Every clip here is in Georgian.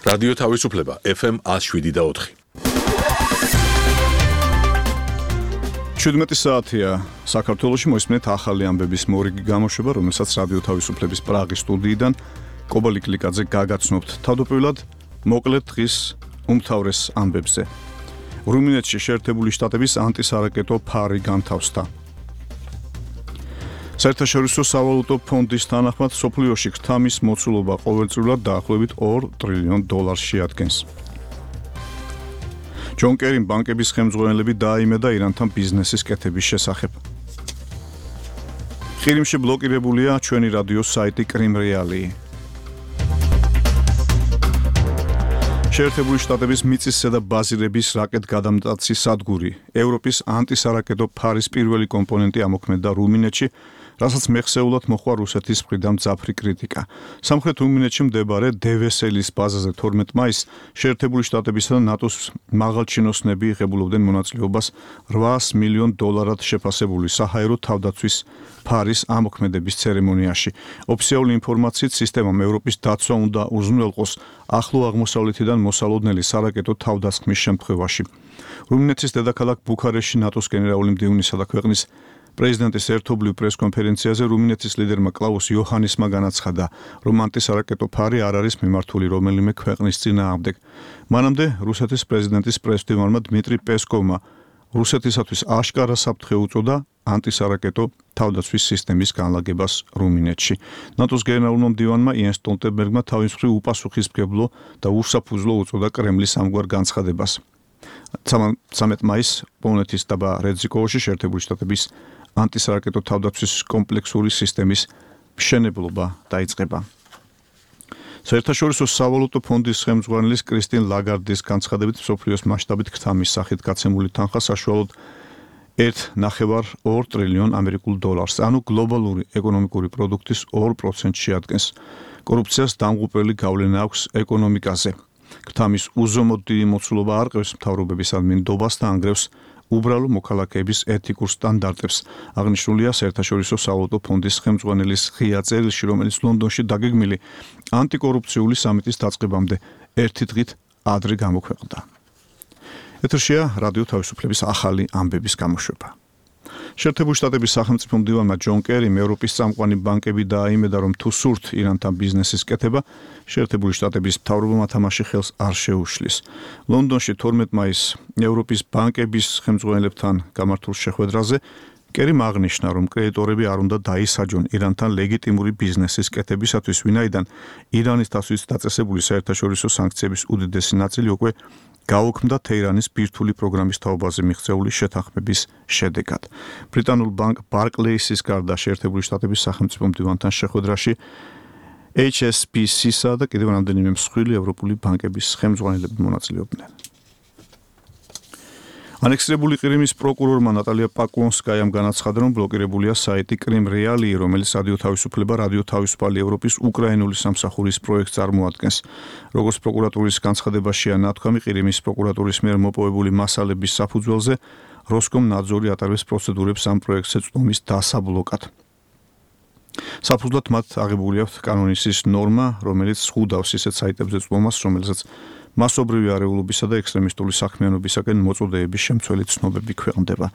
რადიო თავისუფლება FM 107.4. 17 საათია საქართველოში მოისმენთ ახალი ამბების მორიგი გამოშვება, რომელსაც რადიო თავისუფლების პრაღის სტუდიიდან კობალი კლიკაძე გაგაცნობთ. თავდაპირველად მოკლედ დღის უმთავრეს ამბებზე. რუმინეთში შეერთებული შტატების ანტისარაკეტო ფარი განთავსდა. საერთაშორისო სავალუტო ფონდის თანახმად სოფლიოში ქთამის მოცულობა ყოველწლიურად დაახლოებით $2 ტრილიონ შეადგენს. ჯონ კერიმ ბანკების ხელმძღვანელები დააიმედა ირანთან ბიზნესის კეთების შესახებ. ყირიმში ბლოკირებულია ჩვენი რადიოს საიტი კრიმ რეალი. შეერთებული შტატების მიწისზედა და ბაზირების რაკეტგადამტაცი სადგური ევროპის ანტისარაკეტო ფარის პირველი კომპონენტი ამოქმედდა რუმინეთში, რასაც მეხსეულად მოხდა რუსეთის მხრიდან მძაფრი κρიტიკა. სამხრეთ რუმინეთში მდებარე დევესელის ბაზაზე 12 მაისს შეერთებული შტატებისა და ნატოს მაღალჩინოსნები იღებულობდნენ მონაწილეობას $800 მილიონ შეფასებული საჰაერო თავდაცვის ფარის ამოქმედების ცერემონიაში. ოფიციალური ინფორმაციით სისტემამ ევროპის დაცვა უნდა უზრუნველყოს ახლო აღმოსავლეთიდან მოსალოდნელი სარაკეტო თავდასხმის შემთხვევაში. რუმინეთის დედაქალაქ ბუქარესტში ნატოს გენერალური მდივნისა და ქვეყნის პრეზიდენტის ერთობლივ პრესკონფერენციაზე რუმინეთის ლიდერმა კლაუს იოჰანისმა განაცხადა, რომ ანტისარაკეტო ფარი არ არის მიმართული რომელიმე ქვეყნის წინააღმდეგ. მანამდე რუსეთის პრეზიდენტის პრესმდივანმა დმიტრი პესკოვმა რუსეთისათვის აშკარა საფრთხე უწოდა ანტისარაკეტო თავდაცვის სისტემის განლაგებას რუმინეთში. ნატოს გენერალურმა მდივანმა იენს სტოლტენბერგმა თავის მხრივ უპასუხისმგებლო და უსაფუძვლო უწოდა კრემლის ამგვარ განცხადებას. 13 მაისს პოლონეთის დაბა რეზიკოვოში შეერთებული შტატების ანტისარაკეტო თავდაცვის კომპლექსური სისტემის მშენებლობა დაიწყება. საერთაშორისო სავალუტო ფონდის ხელმძღვანელის კრისტინ ლაგარდის განცხადებით მსოფლიოს მასშტაბით ქთამის სახით გაცემული თანხა საშუალოდ $1.5 ტრილიონ, ანუ გლობალური ეკონომიკური პროდუქტის 2% შეადგენს. კორუფციას დამღუპელი გავლენა აქვს ეკონომიკაზე. ქთამის უზომოდ დიდი მოცულობა არყევს მთავრობების ადმინდობას და ანგრევს უბრალო მოქალაქეების ეთიკურ სტანდარტებს. აღნიშნულია საერთაშორისო სავალუტო ფონდის ხელმძღვანელის ღია წერილში, რომელიც ლონდონში დაგეგმილი ანტიკორუფციული სამიტის დაწყებამდე ერთი დღით ადრე გამოქვეყნდა. ეთერშია რადიო თავისუფლების ახალი ამბების გამოშვება. შეერთებული შტატების სახელმწიფო მდივანმა ჯონ კერიმ ევროპის წამყვანი ბანკები დააიმედა, რომ თუ სურთ ირანთან ბიზნესის კეთება, შეერთებული შტატების მთავრობამ თამაში ხელს არ შეუშლის. ლონდონში 12 მაისს ევროპის ბანკების ხელმძღვანელებთან გამართულ შეხვედრაზე კერიმ აღნიშნა, რომ კრედიტორები არ უნდა დაისაჯონ ირანთან ლეგიტიმური ბიზნესის კეთებისათვის, ვინაიდან ირანის თასვით დაწესებული საერთაშორისო სანქციების უდიდესი ნაწილი უკვე გაუქმდა თეირანის ბირთვული პროგრამის თაობაზე მიღწეული შეთანხმების შედეგად. ბრიტანულ ბანკ ბარკლეისის გარდა შეერთებული შტატების სახელმწიფო მდივანთან შეხვედრაში HSBC-სა და კიდევ რამდენიმე მსხვილი ევროპული ბანკების ხელმძღვანელები მონაწილეობდნენ. ანექსირებული ყირიმის პროკურორმა ნატალია პაკონსკაიამ განაცხადა, რომ ბლოკირებულია საიტი კრიმ რეალი, რომელიც რადიო თავისუფლება, რადიო თავისუფალი ევროპის უკრაინული სამსახურის პროექტს წარმოადგენს. როგორც პროკურატურის განცხადებაშია ნათქვამი, ყირიმის პროკურატურის მიერ მოპოვებული მასალების საფუძველზე როსკომნაძორი ატარებს პროცედურებს ამ პროექტზე წვდომის დასაბლოკად. საფუძვლად მათ აღებული აქვთ კანონისის ნორმა, რომელიც ზღუდავს ისეთ საიტებზე წვდომას, რომელსაც მასობრივი არეულობისა და ექსტრემისტული საქმიანობისაკენ მოწოდეების შემცველი ცნობები ქვეყნდება.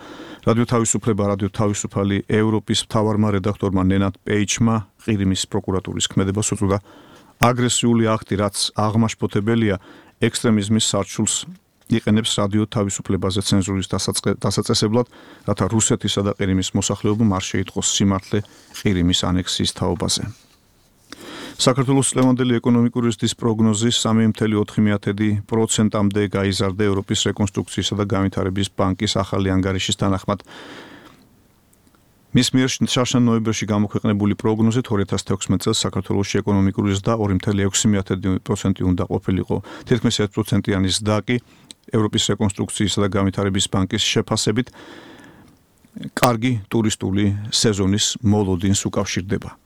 რადიო თავისუფლება, რადიო თავისუფალი ევროპის მთავარმა რედაქტორმა ნენად პეიჩმა ყირიმის პროკურატურის ქმედებას უწოდა აგრესიული აქტი, რაც აღმაშფოთებელია ექსტრემიზმის სარჩულს იყენებს რადიო თავისუფლებაზე ცენზურის დასაწესებლად, რათა რუსეთისა და ყირიმის მოსახლეობამ არ შეიტყოს სიმართლე ყირიმის ანექსიის თაობაზე. საქართველოს წლევანდელი ეკონომიკური ზრდის პროგნოზის 3.4%-მდე გაიზარდა ევროპის რეკონსტრუქციისა და განვითარების ბანკის ახალი ანგარიშის თანახმად. მის მიერ შარშან ნოემბერში გამოქვეყნებული პროგნოზით 2016 წელს საქართველოში ეკონომიკური ზრდა 2.6% უნდა ყოფილიყო. თითქმის 1%-იანი ზრდა კი ევროპის რეკონსტრუქციისა და განვითარების ბანკის შეფასებით კარგი ტურისტული სეზონის მოლოდინს უკავშირდება.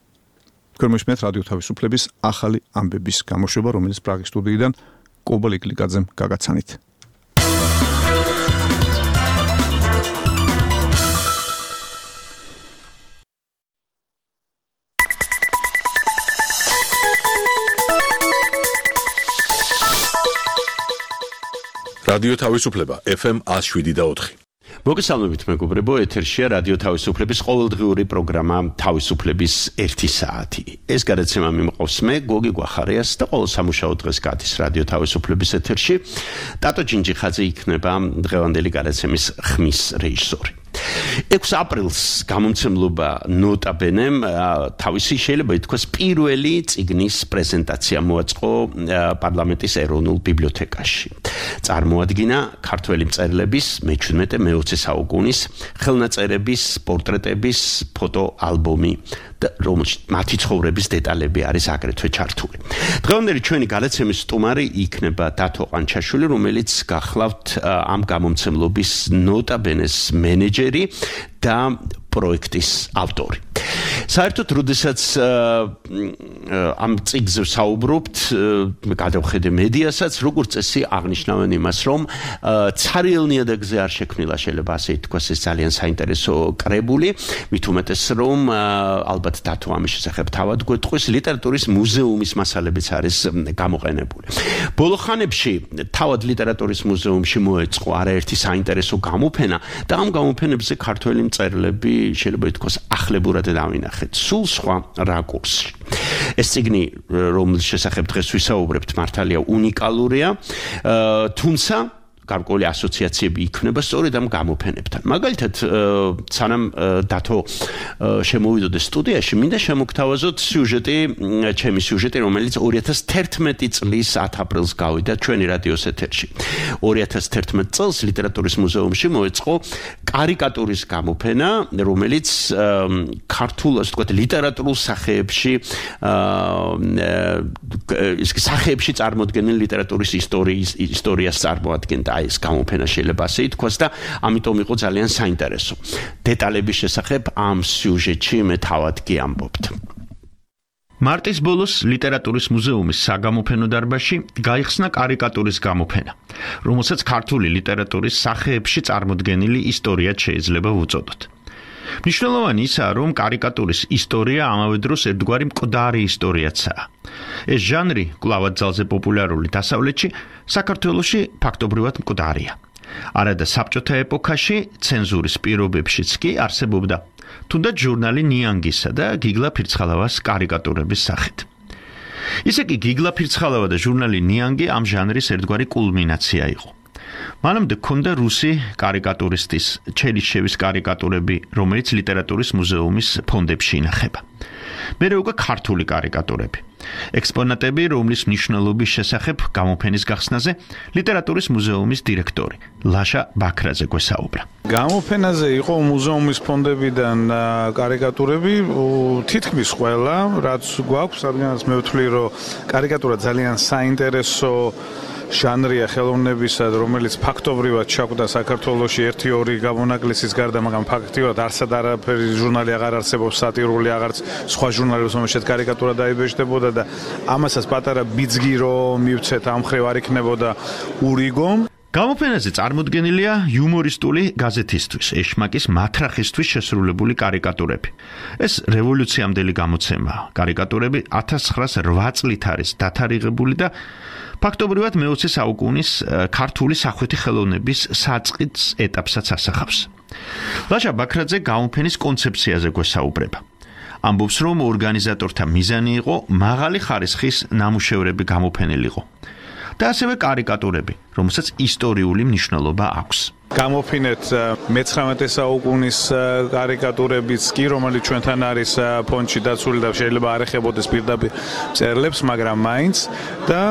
Ქორმიშმეთ რადიო თავისუფლების ახალი ამბების გამოშვება, რომელიც პრაღის სტუდიიდან კობალი კლიკაძემ გაგაცანით. რადიო თავისუფლება FM 107.4. მოგესალმებით მეგობრებო, ეთერშია რადიო თავისუფლების ყოველდღიური პროგრამა თავისუფლების 1 საათი. ეს გადაცემა მიმყავს მე, გოგი გვახარიას და ყოველ სამუშაო დღეს გადის რადიო თავისუფლების ეთერში. ტატო ჯინჯიხაძე იქნება დღევანდელი გადაცემის ხმის რეჟისორი. 6 აპრილს გამომცემლობა ნოტა ბენემ თავისი შეიძლება ითქვას პირველი წიგნის პრეზენტაცია მოაწყო პარლამენტის ეროვნულ ბიბლიოთეკაში. წარმოადგინა ქართველი მწერლების მე-17-მე-20 საუკუნის ხელნაწერების, პორტრეტების ფოტოალბომი და რომელშიც მათი ცხოვრების დეტალები არის აგრეთვე ჩართული. დღევანდელი ჩვენი გადაცემის სტუმარი იქნება დათო ყანჩაშვილი, რომელიც გახლავთ ამ გამომცემლობის ნოტა ბენეს მენეჯერი და პროექტის ავტორი. საერთოდ, როდესაც ამ წიგნზე საუბრობთ, გადავხედე მედიასაც, როგორც წესი აღნიშნავენ იმას, რომ ცარიელ ნიადაგზე არ შექმნილა, შეიძლება ასე ითქვას, ეს ძალიან საინტერესო კრებული, მით უმეტეს, რომ ალბათ დათო ამის შესახებ თავად გვეტყვის, ლიტერატურის მუზეუმის მასალებიც არის გამოყენებული. ბოლო ხანებში თავად ლიტერატურის მუზეუმში მოეწყო არაერთი საინტერესო გამოფენა და ამ გამოფენებზე ქართველი მწერლები შეიძლება ითქვას ახლებურად დავინახეთ სულ სხვა რაკურსში. ეს წიგნი, რომლის შესახებ დღეს ვისაუბრებთ, მართალია უნიკალურია, თუმცა გარკვეული ასოციაციები იქნება სწორედ ამ გამოფენებთან. მაგალითად, სანამ დათო შემოვიდოდეს სტუდიაში, მინდა შემოგთავაზოთ ჩემი სიუჟეტი, რომელიც 2011 წლის 10 აპრილს გავიდა ჩვენი რადიოს ეთერში. 2011 წელს ლიტერატურის მუზეუმში მოეწყო კარიკატურის გამოფენა, რომელიც ქართულ, ასე ვთქვათ, ლიტერატურულ სახეებში წარმოდგენილ ლიტერატურის ისტორიას წარმოადგენდა. ეს გამოფენა შეიძლება ასე ითქვას და ამიტომ იყო ძალიან საინტერესო. დეტალების შესახებ ამ სიუჟეტში მე თავად გიამბობთ. მარტის ბოლოს ლიტერატურის მუზეუმის საგამოფენო დარბაზში გაიხსნა კარიკატურის გამოფენა, რომელსაც ქართული ლიტერატურის სახეებში წარმოდგენილი ისტორიაც შეიძლება ვუწოდოთ. მნიშვნელოვანი ისაა, რომ კარიკატურის ისტორია ამავე დროს ერთგვარი მკვდარი ისტორიაცაა. ეს ჟანრი კვლავ ძალზე პოპულარული დასავლეთში, საქართველოში ფაქტობრივად მკვდარია. არადა საბჭოთა ეპოქაში, ცენზურის პირობებშიც კი არსებობდა თუნდაც ჟურნალი ნიანგისა და გიგლა ფირცხალავას კარიკატურების სახით. ისე კი გიგლა ფირცხალავა და ჟურნალი ნიანგი ამ ჟანრის ერთგვარი კულმინაცია იყო. მანამდე ჰქონდა რუსი კარიკატურისტის ჩერიშევის კარიკატურები, რომელიც ლიტერატურის მუზეუმის ფონდებში ინახება. მერე უკვე ქართული კარიკატურები. ექსპონატები, რომლის მნიშვნელობის შესახებ გამოფენის გახსნაზე ლიტერატურის მუზეუმის დირექტორი ლაშა ბაქრაძე გვესაუბრა. გამოფენაზე იყო მუზეუმის ფონდებიდან კარიკატურები, თითქმის ყველა, რაც გვაქვს, რადგანაც მე ვთვლი, რომ კარიკატურა ძალიან საინტერესო ჟანრია ხელოვნებისა, რომელიც ფაქტობრივად ჩაკვდა საქართველოში 1-2 გამონაკლისის გარდა, მაგრამ ფაქტიურად არსად არაფერი ჟურნალი აღარ არსებობს, სატირული აღარც სხვა ჟურნალებს, რომელშიც კარიკატურა დაიბეჭდებოდა და ამასაც პატარა ბიძგი რომ მივცეთ ამ ხრივ არ იქნებოდა ურიგო. გამოფენაზე წარმოდგენილია იუმორისტული გაზეთისთვის, ეშმაკის მათრახისთვის შესრულებული კარიკატურები. ეს რევოლუციამდელი გამოცემაა. კარიკატურები 1908 წლით არის დათარიღებული და ფაქტობრივად მე-20 საუკუნის ქართული სახვითი ხელოვნების საწყის ეტაპსაც ასახავს. ლაშა ბაქრაძე გამოფენის კონცეფციაზე გვესაუბრება. ამბობს, რომ ორგანიზატორთა მიზანი იყო მაღალი ხარისხის ნამუშევრები გამოფენილიყო და ასევე კარიკატურები, რომელსაც ისტორიული მნიშვნელობა აქვს. გამოფინეთ მე-19 საუკუნის კარიკატურებიც კი, რომელიც ჩვენთან არის ფონდში დაცული და შეიძლება არ ეხებოდეს პირდაპირ მწერლებს, მაგრამ მაინც და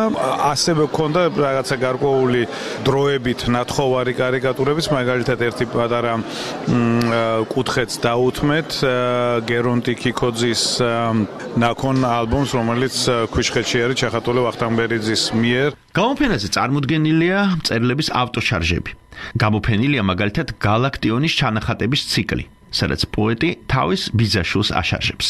ასევე გქონდა რაღაცა გარკვეული დროებით ნათხოვარი კარიკატურებიც, მაგალითად ერთი პატარა კუთხეც დაუთმეთ გერონტი ქიქოძის ნაქონ ალბომს, რომელიც ქვიშხეთში არის ჩახატული ვახტანგბერიძის მიერ. გამოფენაზე წარმოდგენილია მწერლების ავტოშარჟები. გამოფენილია მაგალითად გალაქტიონის ჩანახატების ციკლი, სადაც პოეტი თავის ბიძაშვილს აშარჟებს.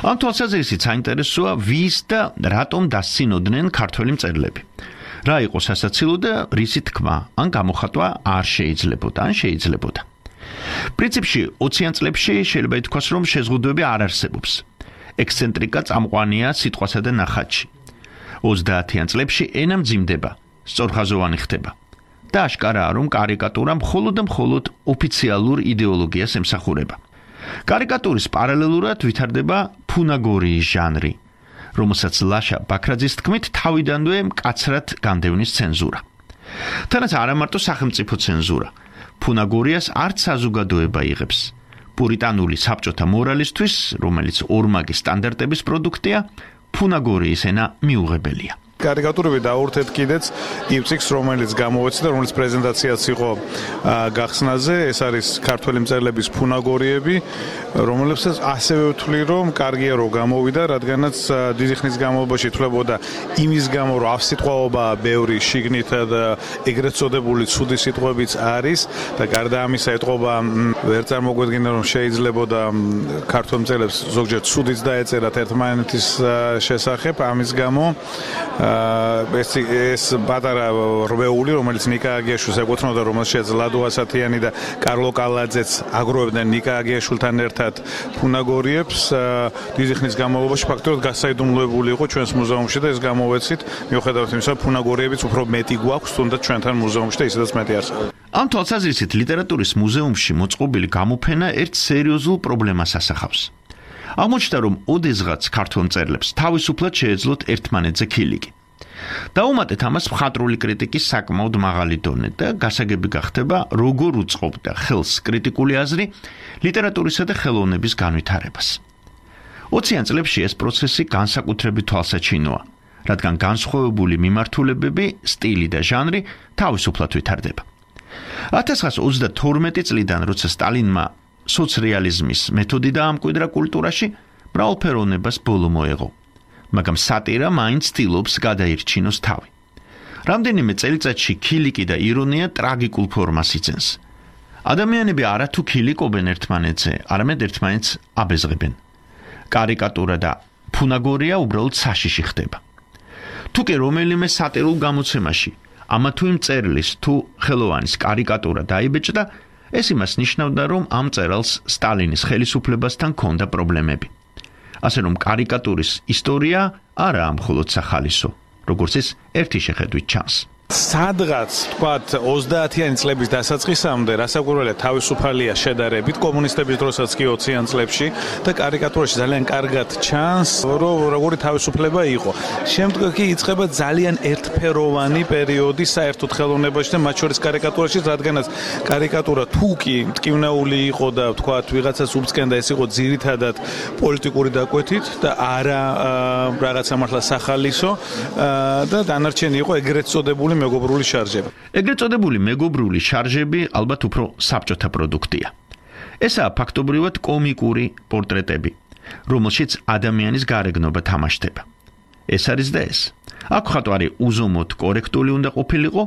ამ თვალსაზრისით საინტერესოა ვის და რატომ დასცინოდნენ ქართველი მწერლები. რა იყო სასაცილო და რისი თქმა ან გამოხატვა არ შეიძლებოდა ან შეიძლებოდა. პრინციპში 20-იან წლებში შეიძლება ითქვას, რომ შეზღუდვები არ არსებობს. ექსცენტრიკა წამყვანია სიტყვასა და ნახატში. 30-იან წლებში ენა მძიმდება, სწორხაზოვანი ხდება. და აშკარაა, რომ კარიკატურა მხოლოდ და მხოლოდ ოფიციალურ იდეოლოგიას ემსახურება. კარიკატურის პარალელურად ვითარდება ფუნაგორიის ჟანრი, რომელსაც ლაშა ბაქრაძის თქმით თავიდანვე მკაცრად განდევნის ცენზურა. თანაც არა მარტო სახელმწიფო ცენზურა, ფუნაგორიას არც საზოგადოება იღებს. პურიტანული საბჭოთა მორალისთვის, რომელიც ორმაგი სტანდარტების პროდუქტია, ფუნაგორიის ენა მიუღებელია. კარიკატურები დაურთეთ კიდეც იმ წიგნს, რომელიც გამოვეცდა, რომელიც პრეზენტაციაც იყო გახსნაზე, ეს არის ქართველი მწერლების ფუნაგორიები, რომლებსაც ასევე ვთვლი, რომ კარგია რომ გამოვიდა, რადგანაც დიდი ხნის განმავლობაში ითვლებოდა იმის გამო, რომ ავსიტყვაობა ბევრი შიგნითა და ეგრეთ წოდებული ცუდი სიტყვებიც არის და გარდა ამისა ეთყობა ვერ წარმოგვედგინა, რომ შეიძლებოდა ქართველ მწერლებს ზოგჯერ ცუდიც დაეწერათ ერთმანეთის შესახებ, ამის გამო ეს პატარა რვეული, რომელიც ნიკა აგიაშვილს ეკუთვნოდა, რომელშიც ლადო ასათიანი და კარლო კალაძეც აგროვებდნენ ნიკა აგიაშვილთან ერთად ფუნაგორიებს, დიდი ხნის განმავლობაში ფაქტობრივად გასაიდუმლოებული იყო ჩვენს მუზეუმში და ეს გამოვეცით, მიუხედავად იმისა, ფუნაგორიებიც უფრო მეტი გვაქვს, თუნდაც ჩვენთან მუზეუმში და ისედაც მეტი არსებობს. ამ თვალსაზრისით ლიტერატურის მუზეუმში მოწყობილი გამოფენა ერთ სერიოზულ პრობლემას ასახავს. აღმოჩნდა, რომ ოდესღაც ქართველ მწერლებს თავისუფლად შეეძლოთ ერთმანეთზე ქილიკი. დაუმატეთ ამას მხატვრული კრიტიკის საკმაოდ მაღალი დონე და გასაგები გახდება, როგორ უწყობდა ხელს კრიტიკული აზრი ლიტერატურისა და ხელოვნების განვითარებას. 20-იან წლებში ეს პროცესი განსაკუთრებით თვალსაჩინოა, რადგან განსხვავებული მიმართულებები, სტილი და ჟანრი თავისუფლად ვითარდება. 1922 წლიდან, როცა სტალინმა სოციალიზმის მეთოდი დაამკვიდრა კულტურაში, მრავალფეროვნებას ბოლო მოეღო. მაგრამ სატირა მაინც ცდილობს გადაირჩინოს თავი. რამდენიმე წელიწადში ქილიკი და ირონია ტრაგიკულ ფორმას იძენს. ადამიანები არათუ ქილიკობენ ერთმანეთზე, არამედ ერთმანეთს აბეზღებენ. კარიკატურა და ფუნაგორია უბრალოდ საშიში ხდება. თუ კი რომელიმე სატირულ გამოცემაში ამა თუ იმ მწერლის თუ ხელოვანის კარიკატურა დაიბეჭდა, ეს იმას ნიშნავდა, რომ ამ მწერალს სტალინის ხელისუფლებასთან ჰქონდა პრობლემები. ასე რომ კარიკატურის ისტორია არაა მხოლოდ სახალისო, როგორც ის ერთი შეხედვით ჩანს. სადღაც თქვათ 30-იანი წლების დასაწყისამდე რასაკვირველია თავისუფალია შედარებით კომუნისტების დროსაც კი 20-იან წლებში და კარიკატურაში ძალიან კარგად ჩანს რომ როგორი თავისუფლება იყო. შემდგომ კი იწყება ძალიან ერთფეროვანი პერიოდი საერთოდ ხელოვნებაში და მათ შორის კარიკატურაში, რადგანაც კარიკატურა თუ კი მტკივნეული იყო და თქვათ ვიღაცას უბწკენდა, ეს იყო ძირითადად პოლიტიკური დაკვეთით და არა რაღაცა მართლა სახალისო და დანარჩენი იყო ეგრეთ წოდებული მეგობრული შარჟები. ეგრეთ წოდებული მეგობრული შარჟები ალბათ უფრო საბჭოთა პროდუქტია. ესაა ფაქტობრივად კომიკური პორტრეტები, რომელშიც ადამიანის გარეგნობა თამაშდება. ეს არის და ეს. აქ მხატვარი უზომოდ კორექტული უნდა ყოფილიყო,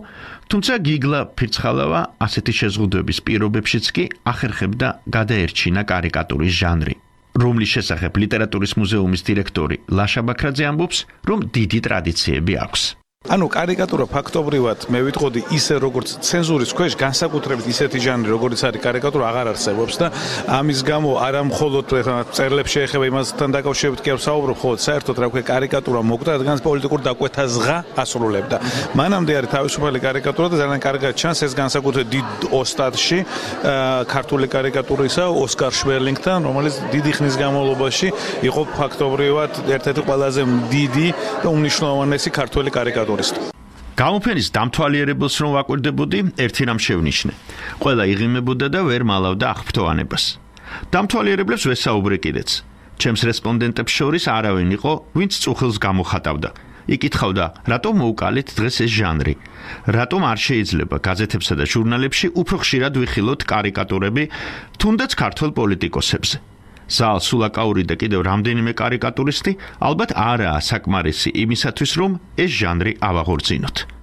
თუმცა გიგლა ფირცხალავა ასეთი შეზღუდვების პირობებშიც კი ახერხებდა გადაერჩინა კარიკატურის ჟანრი, რომლის შესახებ ლიტერატურის მუზეუმის დირექტორი ლაშა ბაქრაძე ამბობს, რომ დიდი ტრადიციები აქვს. ანუ კარიკატურა ფაქტობრივად მე ვიტყოდი ისე როგორც ცენზურის ქვეშ განსაკუთრებით ისეთი ჟანრი როგორც არის კარიკატურა აღარ არსებობს და ამის გამო არა მხოლოდ წერლებს შეეხება იმასთან დაკავშირებით კი არ ვსაუბრობ, ხოლო საერთოდ რა ვქო კარიკატურა მოკვდა, რადგან პოლიტიკურ დაკვეთას ღა ასრულებდა. მანამდე არის თავისუფალი კარიკატურა და ძალიან კარგად ჩანს ეს განსაკუთრებით დიდ ოსტატში ქართული კარიკატურისა ოსკარ შვერლინგთან, რომელიც დიდი ხნის განმავლობაში იყო ფაქტობრივად ერთ-ერთი ყველაზე დიდი და უმნიშვნელოვანესი ქართული კარიკატურა. გამოფენის დამთვალიერებელს რომ ვაკვირდებოდი, ერთი რამ შევნიშნე. ყველა იღიმებოდა და ვერ მალავდა აღფრთოვანებას. დამთვალიერებლებს ვესაუბრე კიდეც. ჩემს რესპონდენტებს შორის არავინ იყო, ვინც წუხილს გამოხატავდა. იკითხავდა, რატომ მოუკალეთ დღეს ეს ჟანრი? რატომ არ შეიძლება გაზეთებსა და ჟურნალებში უფრო ხშირად ვიხილოთ კარიკატურები, თუნდაც ქართველ პოლიტიკოსებზე? ზალ სულაკაური და კიდევ რამდენიმე კარიკატურისტი ალბათ არაა საკმარისი იმისათვის, რომ ეს ჟანრი ავაღორძინოთ.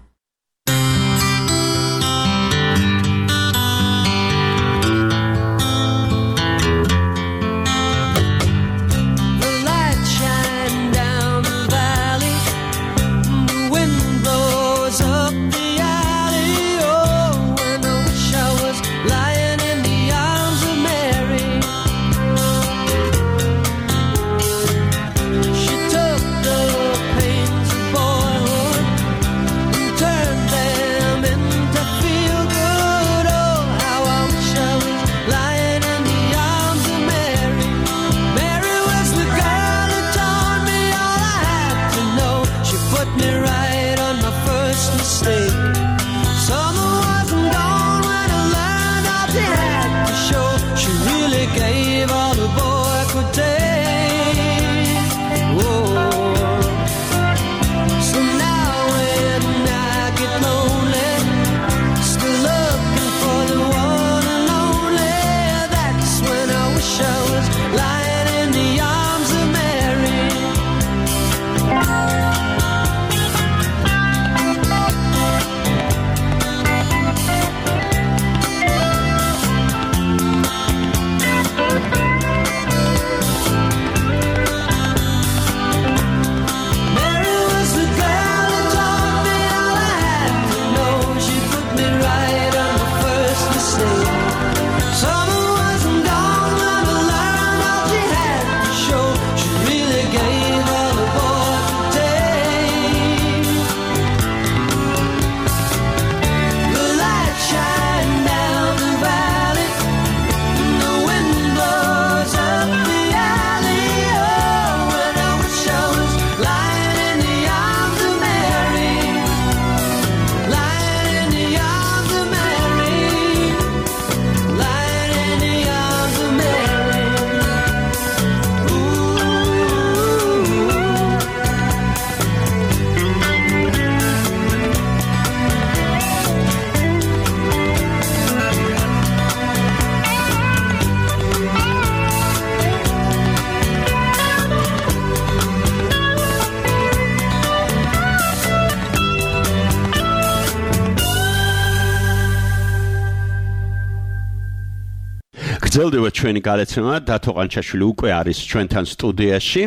გრძელდება ჩვენი გადაცემა დათო ყანჩაშვილი უკვე არის ჩვენთან სტუდიაში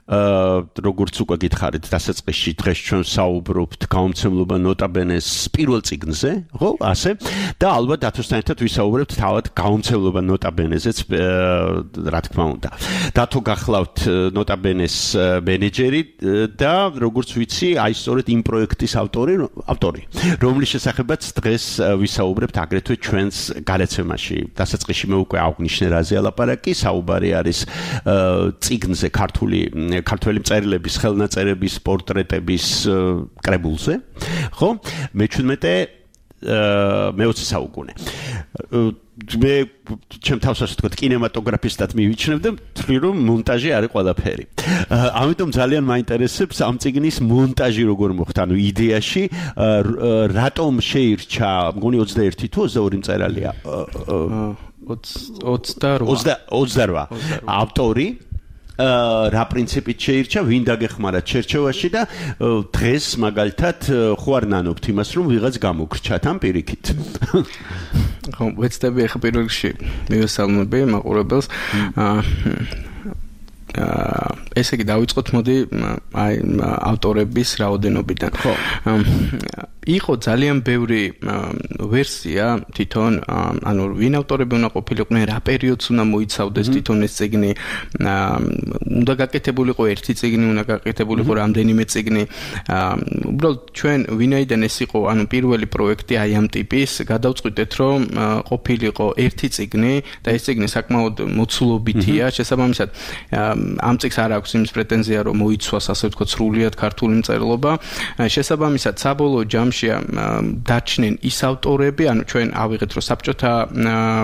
როგორც უკვე გითხარით დასაწყისში დღეს ჩვენ საუბრობთ გამომცემლობა ნოტაბენეს პირველ წიგნზე, ხო, ასე და ალბათ დათოსთან ერთად ვისაუბრებთ თავად გამომცემლობა ნოტაბენეზეც რა თქმა უნდა. დათო გახლავთ ნოტაბენეს მენეჯერი და როგორც ვიცი, აი სწორედ იმ პროექტის ავტორი, რომლის შესახებაც დღეს ვისაუბრებთ აგრეთვე ჩვენს გადაცემაში. დასაწყისში მე უკვე აღვნიშნე რაზე ალაპარაკი, საუბარი არის წიგნზე ქართველი მწერლების ხელნაწერების პორტრეტების კრებულზე, ხო? მე-17 საუკუნე. მე ჩემ თავს ასე ვთქვათ, კინემატოგრაფისტად მივიჩნევ და ვთვლი, რომ მონტაჟი არის ყველაფერი. ამიტომ ძალიან მაინტერესებს ამ წიგნის მონტაჟი როგორ მოხდა, ანუ იდეაში რატომ შეირჩა, მგონი 21 თუ 22 მწერალია? 28 ავტორი რა პრინციპით შეირჩა, ვინ დაგეხმარა ჩერჩევაში და დღეს მაგალითად ხო არ ნანობთ იმას, რომ ვიღაც გამოგრჩათ ამ პირიქით. ხო, ვეცდები ახლა პირველ რიგში მივესალმები მაყურებელს. ესე იგი დავიწყოთ მოდი აი ავტორების რაოდენობიდან. ხო. იყო ძალიან ბევრი ვერსია თვითონ, ანუ ვინ ავტორები უნდა ყოფილიყვნენ, რა პერიოდს უნდა მოიცავდეს თვითონ ეს წიგნი, უნდა გაკეთებულიყო ერთი წიგნი, უნდა გაკეთებულიყო რამდენიმე წიგნი. უბრალოდ ჩვენ ვინაიდან ეს იყო, ანუ პირველი პროექტი აი ამ ტიპის, გადავწყვიტეთ, რომ ყოფილიყო ერთი წიგნი და ეს წიგნი საკმაოდ მოცულობითია, შესაბამისად ამ წიგნს არ აქვს იმის პრეტენზია, რომ მოიცვას ასე ვთქვათ სრულიად ქართული მწერლობა. შესაბამისად საბოლოო ჯამში დაჩნენ ის ავტორები, ანუ ჩვენ ავიღეთ, რომ საბჭოთა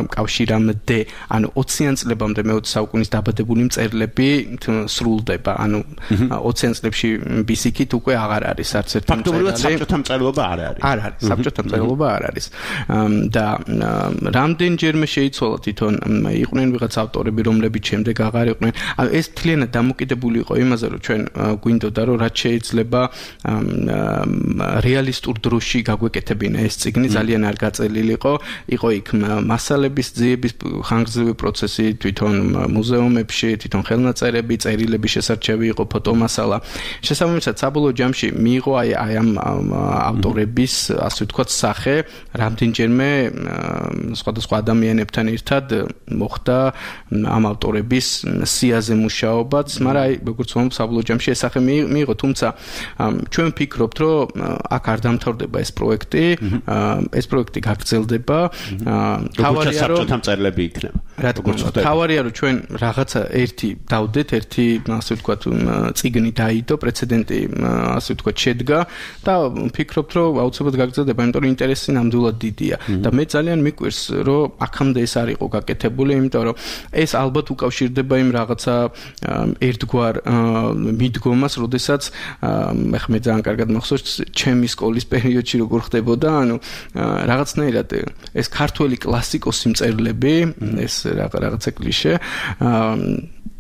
კავშირამდე, ანუ 20-იან წლებამდე მე-20 საუკუნის დაბადებული მწერლები სრულდება, ანუ 20-იან წლებში ბისიკით უკვე აღარ არის არც ერთი მწერალი. ფაქტობრივად საბჭოთა მწერლობა არ არის. არ არის, საბჭოთა მწერლობა არ არის. და რამდენჯერმე შეიცვალა თვითონ იყვნენ ვიღაც ავტორები, რომლებიც შემდეგ აღარ იყვნენ. ანუ ეს თლიანად დამოკიდებული იყო იმაზე, რომ ჩვენ გვინდოდა, რომ რაც შეიძლება რეალისტურ დროში გაგვეკეთებინა ეს წიგნი, ძალიან არ გაწელილიყო, იყო იქ მასალების ძიების ხანგრძლივი პროცესი თვითონ მუზეუმებში, თვითონ ხელნაწერები, წერილების შესარჩევი იყო, ფოტომასალა. შესაბამისად, საბოლოო ჯამში მიიღო აი ამ ავტორების, ასე ვთქვათ, სახე, რამდენჯერმე სხვადასხვა ადამიანებთან ერთად მოხდა ამ ავტორების სიაზე მუშაობაც, მაგრამ აი როგორც ვამბობ, საბოლოო ჯამში ეს სახე მიიღო, თუმცა ჩვენ ვფიქრობთ, რომ აქ არ დამთავრდება ეს პროექტი, ეს პროექტი გაგრძელდება. თავარია რომ საბჭოთა მწერლები იქნება. თავარია რომ ჩვენ რაღაცა ერთი დავდეთ, ერთი ასე ვთქვათ წიგნი დაიდო, პრეცედენტი ასე ვთქვათ შედგა და ვფიქრობთ, რომ აუცილებლად გაგრძელდება, იმიტომ რომ ინტერესი ნამდვილად დიდია. და მე ძალიან მიკვირს, რომ აქამდე ეს არ იყო გაკეთებული, იმიტომ რომ ეს ალბათ უკავშირდება იმ რაღაცა ერთგვარ მიდგომას, როდესაც ახლა მე ძალიან კარგად მახსოვს ჩემი სკოლის პერიოდში როგორ ხდებოდა, ანუ რაღაცნაირად ეს ქართველი კლასიკოსი მწერლები, ეს რაღაცა კლიშე,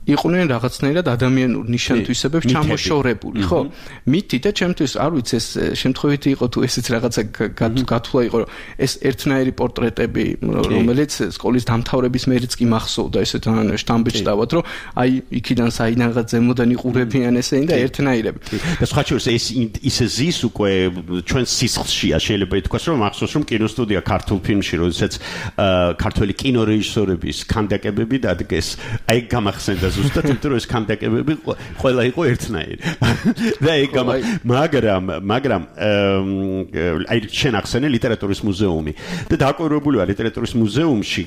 იყვნენ რაღაცნაირად ადამიანურ ნიშან-თვისებებს ჩამოშორებული, ხო? მითი და ჩემთვის არ ვიცი ეს შემთხვევითი იყო თუ ესეც რაღაცა გათვლა იყო, რომ ეს ერთნაირი პორტრეტები, რომელიც სკოლის დამთავრების მერეც კი მახსოვდა, ესე თან შტამბით დავად, რომ აი იქიდან საიდანღაც ზემოდან იყურებიან ესენი და ერთნაირები. და სხვა შორის ეს ისე ზის უკვე ჩვენ სისხლშია, შეიძლება ითქვას, რომ მახსოვს, რომ კინოსტუდია ქართულ ფილმში, როდესაც ქართველი კინორეჟისორების ქანდაკებები დადგეს, აი გამახსენდა ზუსტად იმიტომ რომ ეს ქანდაკებები ყველა იყო ერთნაირი. და ეგ მაგრამ აი შენ ახსენე ლიტერატურის მუზეუმი და დაკვირვებული ვარ ლიტერატურის მუზეუმში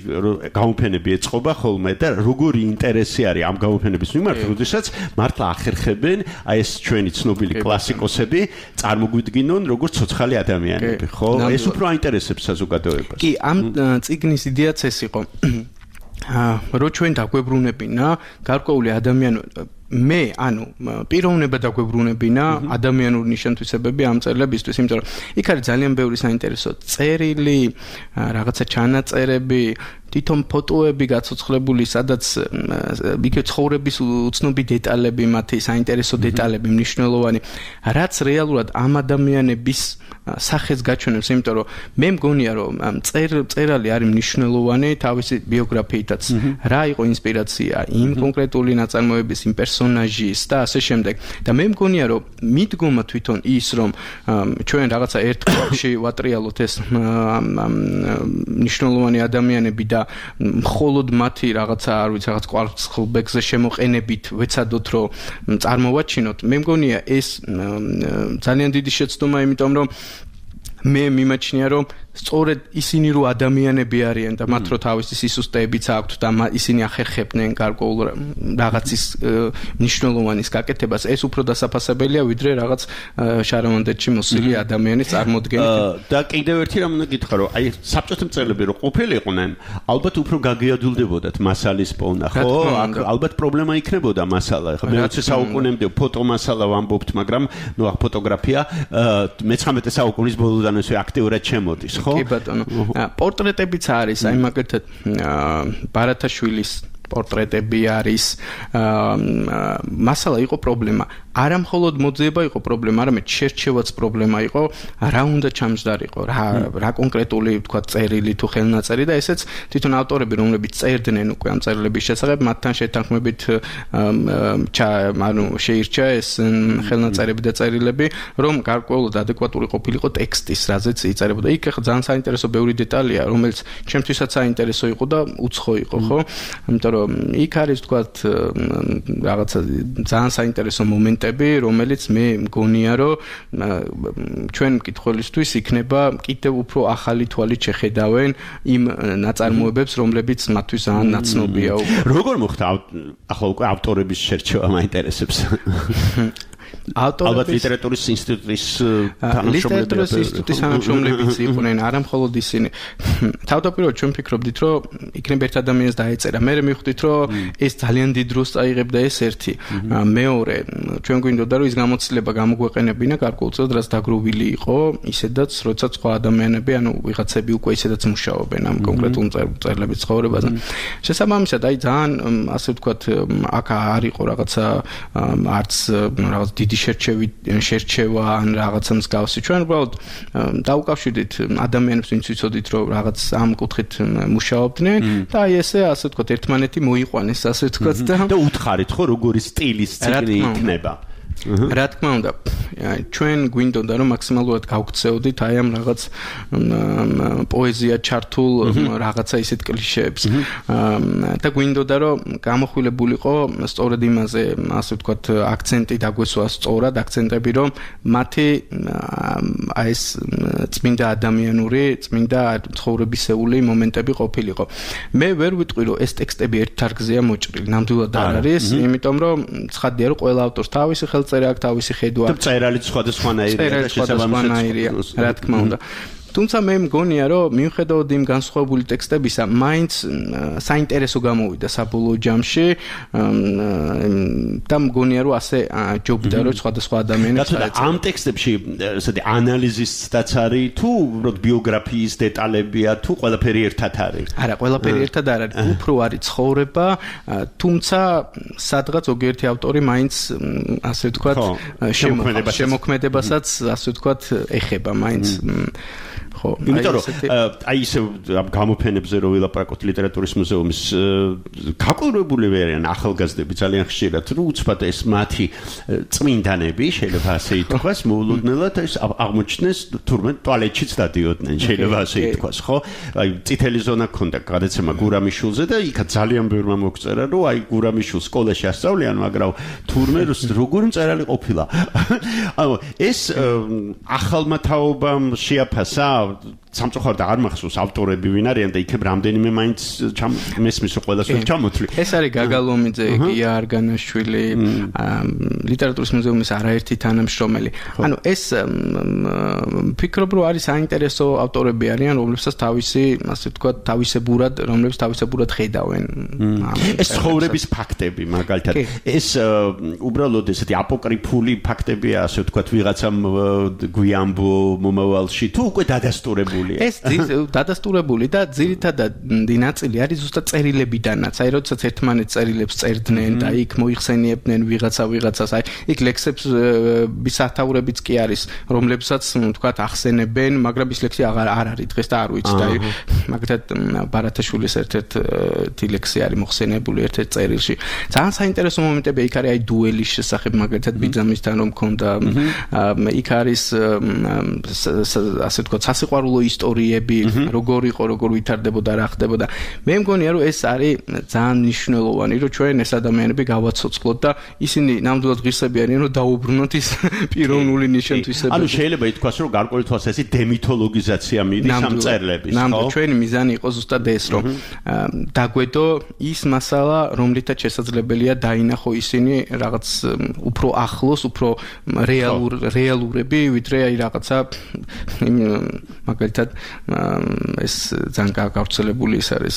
გამოფენები ეწყობა ხოლმე და როგორი ინტერესი არის ამ გამოფენების მიმართ, როდესაც მართლა ახერხებენ აი ეს ჩვენი ცნობილი კლასიკოსები წარმოგვიდგინონ როგორც ცოცხალი ადამიანები, ხო? ეს უფრო აინტერესებს საზოგადოებას. კი, ამ წიგნის იდეაც ეს იყო. რო ჩვენ დაგვებრუნებინა გარკვეული ადამიანი მე ანუ პიროვნება დაგვებრუნებინა ადამიანური ნიშან-თვისებები ამ წერილებისთვის, იმიტომ რომ იქ არის ძალიან ბევრი საინტერესო წერილი, რაღაცა ჩანაწერები, თვითონ ფოტოები გაცოცხლებული, სადაც იქ ცხოვრების უცნობი დეტალები, მათი საინტერესო დეტალები, მნიშვნელოვანი, რაც რეალურად ამ ადამიანების სახეს გაჩვენებს, იმიტომ რომ მე მგონია რომ წერალი არის მნიშვნელოვანი თავისი ბიოგრაფიითაც, რა იყო ინსპირაცია იმ კონკრეტული ნაწარმოების, იმ პერსონაჟის და ასე შემდეგ. და მე მგონია რომ მიდგომა თვითონ ის რომ ჩვენ რაღაცა ერთ კლუბში ვატრიალოთ ეს მნიშვნელოვანი ადამიანები და მხოლოდ მათი რაღაცა არ ვიცი რაღაც კვარცხლბეკზე შემოყენებით ვეცადოთ რომ წარმოვაჩინოთ. მე მგონია ეს ძალიან დიდი შეცდომა, იმიტომ რომ მე მიმაჩნია რომ სწორედ ისინი რო ადამიანები არიან და მათ რო თავისი სისუსტეებიც აქვთ და ისინი ახერხებდნენ გარკვეულ რაღაცის მნიშვნელოვანის გაკეთებას, ეს უფრო დასაფასებელია ვიდრე რაღაც შარამონდეთში მოსილი ადამიანის წარმოდგენით. და კიდევ ერთი რამ უნდა გითხრა, რომ აი საბჭოთა მწერლები რო ყოფილიყვნენ, ალბათ უფრო გაგიადულდებოდათ მასალის პოვნა, ხო? ალბათ პრობლემა იქნებოდა მასალა. ხო, მე-20 საუკუნემდე ფოტო მასალა ვამბობთ, მაგრამ ნუ ახ ფოტოგრაფია 19 საუკუნის ბოლოდან ესე აქტიურად შემოდის. კი ბატონო. პორტრეტებიც არის, აი მაგალითად ბარათაშვილის პორტრეტები არის. მასალა იყო პრობლემა. არა მხოლოდ მოძიება იყო პრობლემა, არამედ შერჩევაც პრობლემა იყო, რა უნდა ჩამჯდარიყო, რა კონკრეტული თქვა წერილი თუ ხელნაწერი და ესეც თვითონ ავტორები, რომლებიც წერდნენ უკვე ამ წერილების შესახებ, მათთან შეთანხმებით ანუ შეირჩა ეს ხელნაწერები და წერილები, რომ გარკვეულად ადეკვატური ყოფილიყო ტექსტის, რაზეც იწერებოდა. იქ ახლა ძალიან საინტერესო ბევრი დეტალია, რომელიც ჩემთვისაც საინტერესო იყო და უცხო იყო, ხო? იმიტომ რომ იქ არის თქვა რაღაცა ძალიან საინტერესო მომენტი, რომელიც მე მგონია რომ ჩვენ მკითხველისთვის იქნება კიდევ უფრო ახალი თვალით შეხედავენ იმ ნაწარმოებებს, რომლებიც მათთვის ძალიან ნაცნობია უკვე. როგორ მოხდა ახლა უკვე ავტორების შერჩევა მაინტერესებს? ალბათ ლიტერატურის ინსტიტუტის თანამშრომლებიც იყვნენ, არა მხოლოდ ისინი. თავდაპირველად ჩვენ ფიქრობდით, რომ იქნებ ერთ ადამიანს დაეწერა. მე მივხვდით, რომ ეს ძალიან დიდ დროს წაიღებდა ეს ერთი. მეორე, ჩვენ გვინდოდა, რომ ის გამოცდილება გამოგვეყენებინა გარკვეულწილად, რაც დაგროვილი იყო, ისედაც, როდესაც სხვა ადამიანები, ანუ ვიღაცები უკვე ისედაც მუშაობენ ამ კონკრეტულ წერილების ცხოვრებაზე. შესაბამისად, აი ძალიან ასე ვთქვათ, აქ არ იყო რაღაცა არც რაღაც დიდი შერჩევა ან რაღაცა მსგავსი. ჩვენ უბრალოდ დაუკავშირდით ადამიანებს, ვინც ვიცოდით, რომ რაღაც ამ კუთხით მუშაობდნენ და აი ესე ასე ვთქვათ, ერთმანეთი მოიყვანეს, ასე ვთქვათ და უთხარით, ხო, როგორი სტილის ციკლი იქნება. რა თქმა უნდა, ჩვენ გვინდოდა რომ მაქსიმალურად გავქცეოდით აი ამ რაღაც პოეზია ჩართულ რაღაცა ისეთ კლიშეებს. და გვინდოდა რომ გამოხვილებულიყო სწორედ იმაზე, ასე ვთქვათ, აქცენტი დაგვესვა სწორად, აქცენტები, რომ მათი აი ეს წმინდა ადამიანური, წმინდა ცხოვრებისეული მომენტები ყოფილიყო. მე ვერ ვიტყვი რომ ეს ტექსტები ერთ თარგზეა მოჭრილი, ნამდვილად არ არის, იმიტომ რომ ცხადია რომ ყველა ავტორს თავისი ხელწერა აქვს, თავისი ხედვა აქვს. წერალიც სხვადასხვანაირია და შესაბამისად, რა თქმა უნდა. თუმცა მე მგონია, რომ მიუხედავად იმ განსხვავებული ტექსტებისა, მაინც საინტერესო გამოვიდა საბოლოო ჯამში და მგონია, რომ ასე ჯობდა, რომ სხვადასხვა ადამიანებს დაეწერა. ამ ტექსტებში ესეთი ანალიზისიც არის, თუ უბრალოდ ბიოგრაფიის დეტალებია, თუ ყველაფერი ერთად არის? არა, ყველაფერი ერთად არ არის. უფრო არის ცხოვრება, თუმცა სადღაც ზოგიერთი ავტორი მაინც ასე ვთქვათ, შემოქმედებასაც ასე ვთქვათ, ეხება მაინც. ხო, იმიტომ რომ აი ისე ამ გამოფენებზე რო ვილაპარაკოთ ლიტერატურის მუზეუმის გაკვირვებული ვერიან ახალგაზრდები ძალიან ხშირად, რომ უცბად ეს მათი წმინდანები, შეიძლება ასე ითქვას, მოულოდნელად ეს აღმოჩნდეს თურმე ტუალეტშიც დადიოდნენ, შეიძლება ასე ითქვას, ხო? აი წითელი ზონა ქონდა გადაცემა გურამიშვილზე და იქა ძალიან ბევრმა მოგწერა, რომ აი გურამიშვილს სკოლაში ასწავლიან, მაგრამ თურმე როგორი მწერალი ყოფილა. ანუ ეს ახალმა თაობამ შეაფასა სამწუხაროდ არ მახსოვს ავტორები ვინ არიან და იქებ რამდენიმე მაინც მესმის ყველას ვერ ჩამოთვლი. ეს არის გაგალომიძე, გია არგანაშვილი, ლიტერატურის მუზეუმის არაერთი თანამშრომელი. ანუ ეს ფიქრობ რომ არის საინტერესო ავტორები არიან, რომლებსაც თავისი, ასე ვთქვათ, რომლებიც თავისებურად ხედავენ. ეს ცხოვრების ფაქტები, მაგალითად. ეს უბრალოდ ესეთი აპოკრიფული ფაქტებია, ასე ვთქვათ, ვიღაცამ გვიამბო მომავალში თუ უკვე დადასტურებულია. ეს დადასტურებული და ძირითადად ნაწილი არის ზუსტად წერილებიდანაც. აი როდესაც ერთმანეთს წერილებს წერდნენ და იქ მოიხსენიებდნენ ვიღაცას, აი იქ ლექსებს ბისათაურებიც კი არის, რომლებსაც ვთქვათ ახსენებენ, მაგრამ ის ლექსი არ არის დღეს და არ ვიცი და მაგალითად ბარათაშვილის ერთ-ერთი ლექსი არის მოხსენებული ერთ-ერთ წერილში. ძალიან საინტერესო მომენტები იქ არის აი დუელის შესახებ, მაგალითად ბიძამისთან რომ მქონდა, იქ არის ასე ვთქვათ სასიყვარულო ისტორიები, როგორ იყო, როგორ ვითარდებოდა, რა ხდებოდა. მე მგონია რომ ეს არის ძალიან მნიშვნელოვანი, რომ ჩვენ ეს ადამიანები გავაცოცხლოთ და ისინი ნამდვილად ღირსები არიან, რომ დაუბრუნოთ ის პიროვნული ნიშნთვისებები. ანუ შეიძლება ითქვას, რომ გარკვეული თვალსაზრისით დემითოლოგიზაცია მიდის ამ წერილების, ხო? ნამდვილად ჩვენი მიზანი იყო ზუსტად ეს, რომ დაგვედო ის მასალა, რომლითაც შესაძლებელია დაინახო ისინი რაღაც უფრო ახლოს, უფრო რეალურები, ვიდრე აი რაღაცა მაგალითად ეს ძალიან გავრცელებული ის არის,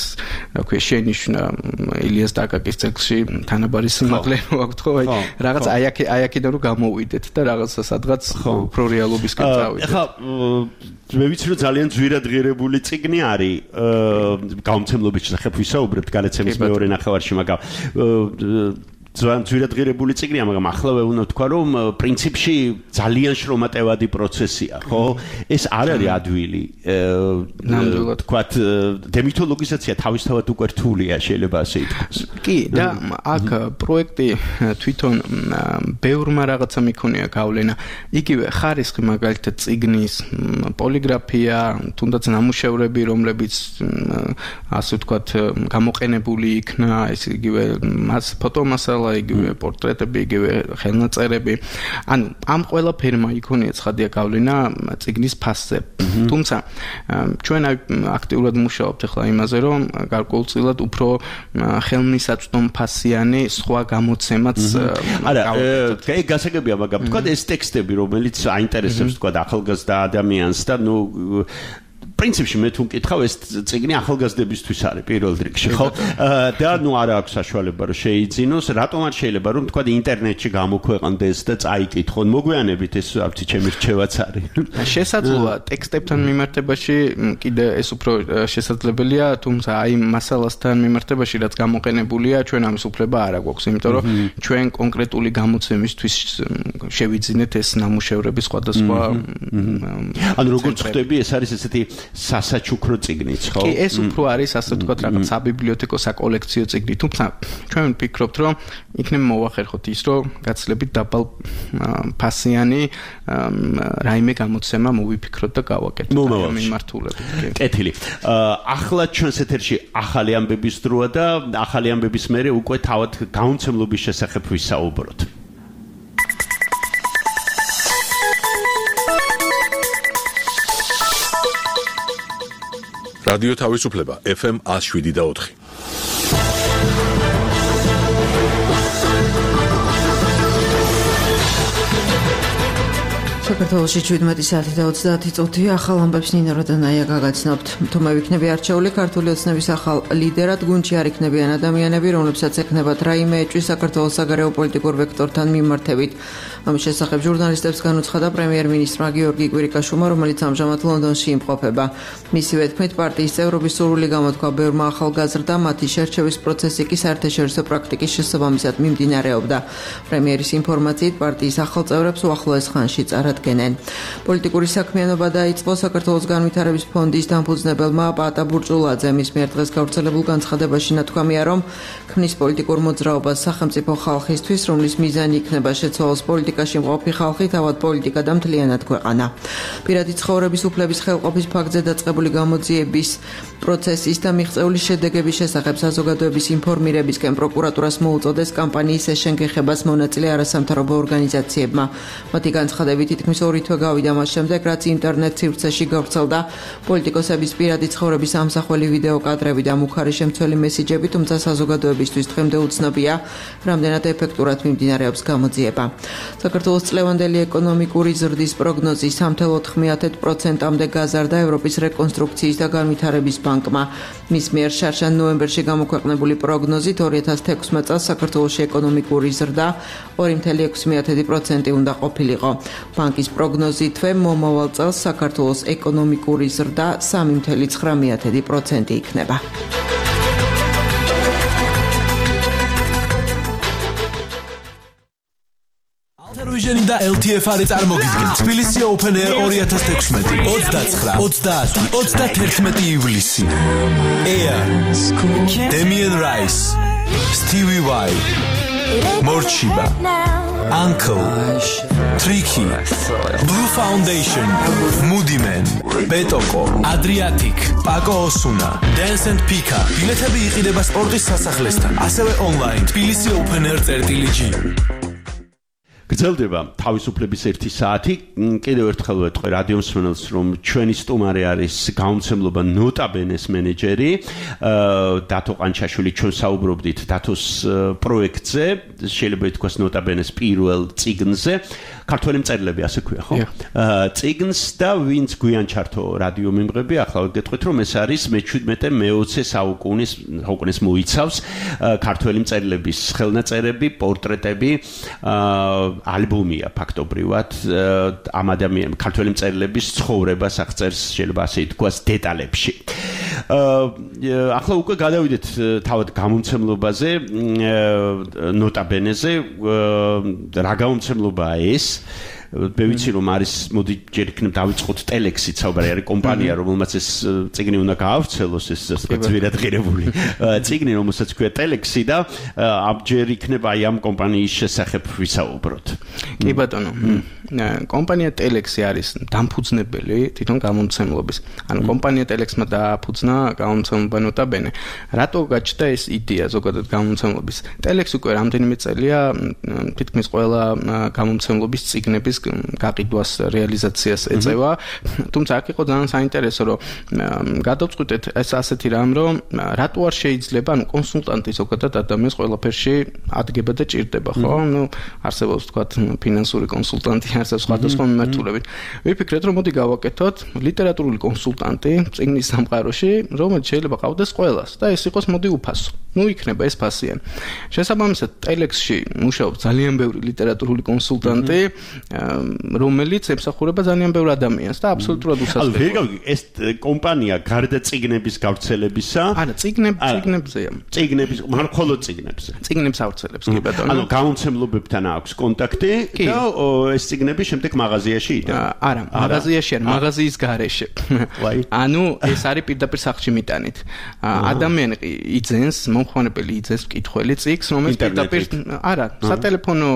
რა ქვია, შენიშვნა ილიას დაკაკის წიგნში თანაბარი სიმაღლე აქვს, ხო? აი რაღაც აი აქედან რომ გამოვიდეთ და რაღაცა სადღაც უფრო რეალობისკენ წავიდეთ. ეხლა მე ვიცი რომ ძალიან ძვირადღირებული წიგნი არის გამომცემლობის შესახებ ვისაუბრებთ განაცემის მეორე ნახევარში, მაგრამ ძვირადღირებული წიგნია, მაგრამ ახლა უნდა ვთქვა, რომ პრინციპში ძალიან შრომატევადი პროცესია, ხო? ეს არ არის ადვილი. ვთქვათ, დემითოლოგიზაცია თავისთავად უკვე რთულია, შეიძლება ასე ითქვას. კი, და აქ პროექტი თვითონ ბევრმა რაღაცა მიქონია გავლენა. იგივე ხარისხი მაგალითად წიგნის პოლიგრაფია, თუნდაც ნამუშევრები, რომლებიც ასე ვთქვათ, გამოყენებული იქნა, ეს იგივე ფოტომასალა, იგივე პორტრეტები, იგივე ხელნაწერები. ანუ ამ ყველაფერმა იქონია ცხადია გავლენა წიგნის ფასზე. თუმცა ჩვენ აქტიურად მუშაობთ ახლა იმაზე, რომ გარკვეულწილად უფრო ხელმისაწვდომფასიანი სხვა გამოცემაც გავაკეთოთ. კი, გასაგებია, მაგრამ თქვა ეს ტექსტები, რომელიც აინტერესებს თქვა ახალგაზრდა ადამიანს და ნუ პრინციპში მე თუ მკითხავ ეს წიგნი ახალგაზრდებისთვის არის პირველ რიგში, ხო? და ნუ არ აქვს საშუალება რომ შეიძინოს, რატომ არ შეიძლება რომ თქვა ინტერნეტში გამოქვეყნდეს და წაიკითხონ, მოგვიანებით ეს არ ვიცი ჩემი რჩევაც არის. შესაძლოა ტექსტებთან მიმართებაში კიდე ეს უფრო შესაძლებელია, თუმცა აი მასალასთან მიმართებაში რაც გამოყენებულია, ჩვენ ამის უფლება არ აქვს, იმიტომ რომ ჩვენ კონკრეტული გამოცემისთვის შევიძინეთ ეს ნამუშევრები სხვადასხვა. ანუ როგორც ხვდები, ეს არის ესეთი სასაჩუქრო წიგნიც, ხო? კი, ეს უფრო არის, ასე ვთქვათ, რაღაც საბიბლიოთეკო საკოლექციო წიგნი, თუმცა ჩვენ ვფიქრობთ, რომ იქნებ მოვახერხოთ ის, რომ გაცილებით დაბალ ფასიანი რაიმე გამოცემა მოვიფიქროთ და გავაკეთოთ ამ მიმართულებით. კეთილი. ახლა ჩვენს ეთერში ახალი ამბების დროა და ახალი ამბების მერე უკვე თავად გამომცემლობის შესახებ ვისაუბროთ. რადიო თავისუფლება FM 107.4. საქართველოში 17 საათი და 30 წუთი ახალ ამბებს ნინო როდანაია გაგაცნობთ. თუ მე ვიქნები არჩეული ქართული ოცნების ახალ ლიდერად, გუნდში არ იქნებიან ადამიანები, რომლებსაც ექნებათ რაიმე ეჭვი საქართველოს საგარეო პოლიტიკურ ვექტორთან მიმართებით. ამის შესახებ ჟურნალისტებს განუცხადა პრემიერ-მინისტრმა გიორგი კვირიკაშვილმა, რომელიც ამჟამად ლონდონში იმყოფება. მისივე თქმით, პარტიის წევრობის სურვილი გამოთქვა ბევრმა ახალგაზრდა, მათი შერჩევის პროცესი კი საერთაშორისო პრაქტიკის შესაბამისად მიმდინარეობდა. პრემიერის ინფორმაციით, პარტიის ახალ წევრებს უახლოეს ხანში წარადგენენ. პოლიტიკური საქმიანობა დაიწყო საქართველოს განვითარების ფონდის დამფუძნებელმა პაატა ბურჭულაძე. მის მიერ დღეს გავრცელებულ განცხადებაში ნათქვამია, რომ ქმნის პოლიტიკურ მოძრაობას სახელმწიფო ხალხისთვის, რომლის მიზანი იქნება შეცვალოს პოლიტიკაში მყოფი ხალხი, თავად პოლიტიკა და მთლიანად ქვეყანა. პირადი ცხოვრების უფლების ხელყოფის ფაქტზე დაწყებული გამოძიების პროცესის და მიღწეული შედეგების შესახებ საზოგადოების ინფორმირებისკენ პროკურატურას მოუწოდეს კამპანიის ეს შენგეხებას მონაწილე არასამთავრობო ორგანიზაციებმა. მათი განცხადებით ითქმის თითქმის 2 თვე გავიდა მას შემდეგ, რაც ინტერნეტ სივრცეში გავრცელდა პოლიტიკოსების პირადი ცხოვრების ამსახველი ვიდეო კადრები და მუხარი შემცველი მესიჯები, თუმცა საზოგადოებისთვის დღემდე უცნობია, რამდენად ეფექტურად მიმდინარეობს გამოძიება. საქართველოს წლევანდელი ეკონომიკური ზრდის პროგნოზი 3.9%-მდე გაზარდა ევროპის რეკონსტრუქციის და განვითარების ბანკმა. მის მიერ შარშან ნოემბერში გამოქვეყნებული პროგნოზით 2016 წელს საქართველოში ეკონომიკური ზრდა 2.6% უნდა ყოფილიყო. ბანკის პროგნოზითვე მომავალ წელს საქართველოს ეკონომიკური ზრდა 3.9% იქნება. Vision და LTF-ი წარმოგიდგენთ თბილისი Open Air 2016 29-30-31 ივლისი. Air, Damien Rice, Stevie Y, Morchiba, Uncle, Tricky, Blue Foundation, Moody Man, Betoko, Adriatic, Paco Osuna, Dance and Pika. ბილეთები იყიდება სპორტის სასახლესთან, ასევე online თბილისი Open Air.gr. გრძელდება თავისუფლების 1 საათი. კიდევ ერთხელ ვეთქვი რადიო მსმენელს, რომ ჩვენი სტუმარი არის გამომცემლობა ნოტაბენეს მენეჯერი დათო ყანჩაშვილი. ჩვენ საუბრობდით დათოს პროექტზე, შეიძლება ითქვას ნოტაბენეს პირველ წიგნზე. ქართველი მწერლები ასე ქვია, ხო? წიგნს და ვინც გვიან ჩართო რადიო მიმღები, ახლა გეტყვით, რომ ეს არის მე-17-მე-20 საუკუნის მოიცავს ქართველი მწერლების ხელნაწერები, პორტრეტები, ალბომია ფაქტობრივად ამ ადამიანის ქართველი მწერლების ცხოვრებას აღწერს, შეიძლება ასე ითქვას, დეტალებში. ახლა უკვე გადავიდეთ თავად გამომცემლობაზე, ნოტაბენეზე. რა გამომცემლობაა ეს? მე ვიცი რომ არის, მოდი ჯერ იქნებ დავიწყოთ ტელექსით საუბარი, არის კომპანია, რომელმაც ეს წიგნი უნდა გაავრცელოს, ეს ძვირად ღირებული წიგნი, რომელსაც ქვია ტელექსი და ჯერ იქნება აი ამ კომპანიის შესახებ ვისაუბროთ. კი ბატონო, კომპანია ტელექსი არის დამფუძნებელი თვითონ გამომცემლობის. ანუ კომპანია ტელექსმა დააფუძნა გამომცემლობა ნოტაბენე. რატო გაჩნდა ეს იდეა ზოგადად გამომცემლობის? ტელექსი უკვე რამდენიმე წელია თითქმის ყველა გამომცემლობის წიგნების გაყიდვას, რეალიზაციას ეწევა. თუმცა აქ იყო ძალიან საინტერესო, რომ გადავწყვიტეთ ეს ასეთი რამ, რომ რატო არ შეიძლება, ანუ კონსულტანტი ზოგადად ადამიანს ყველაფერში ადგება და ჭირდება, ხო? ნუ არსებობს თქვათ ფინანსური კონსულტანტი, არსებობს სხვადასხვა მიმართულებით. ვიფიქრეთ, რომ მოდი გავაკეთოთ ლიტერატურული კონსულტანტი წიგნის სამყაროში, რომელიც შეიძლება ყავდეს ყველას და ეს იყოს მოდი უფასო. ნუ იქნება ეს ფასიანი. შესაბამისად, ტელექსში მუშაობს ძალიან ბევრი ლიტერატურული კონსულტანტი, რომელიც ემსახურება ძალიან ბევრ ადამიანს და აბსოლუტურად უსასწრაფოა. ეს კომპანია გარდა წიგნების გავრცელებისა, არა, წიგნებზეა. წიგნების, მაგრამ მხოლოდ წიგნებზე. წიგნებს ავრცელებს, კი ბატონო. ანუ გამომცემლობებთან აქვს კონტაქტი და ეს წიგნები შემდეგ მაღაზიაში იდება. არა, მაღაზიაში არ, მაღაზიის გარეშე. ანუ ეს არის პირდაპირ სახლში მიტანით. ადამიანი იძენს, მომხმარებელი იძენს მკითხველი წიგნს, რომელიც პირდაპირ არა, სატელეფონო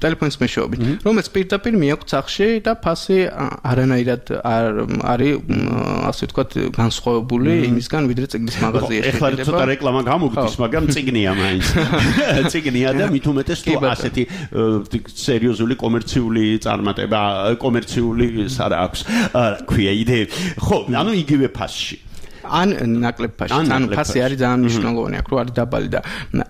ტელეფონის მეშვეობით, რომელიც პირდაპირ მიაქვს სახლში და ფასი არანაირად არ არის, ასე ვთქვათ, განსხვავებული იმისგან, ვიდრე წიგნის მაღაზიაში. ეხლა ცოტა რეკლამა გამოგდის, მაგრამ წიგნია მაინც. წიგნია და მით უმეტეს თუ ასეთი სერიოზული კომერციული წარმატება, კომერციული არა აქვს, ქვია იდეები. ხო, ანუ იგივე ფასში. ან ნაკლებ ფასში, ანუ ფასი არის ძალიან მნიშვნელოვანი, აქ რო არის დაბალი და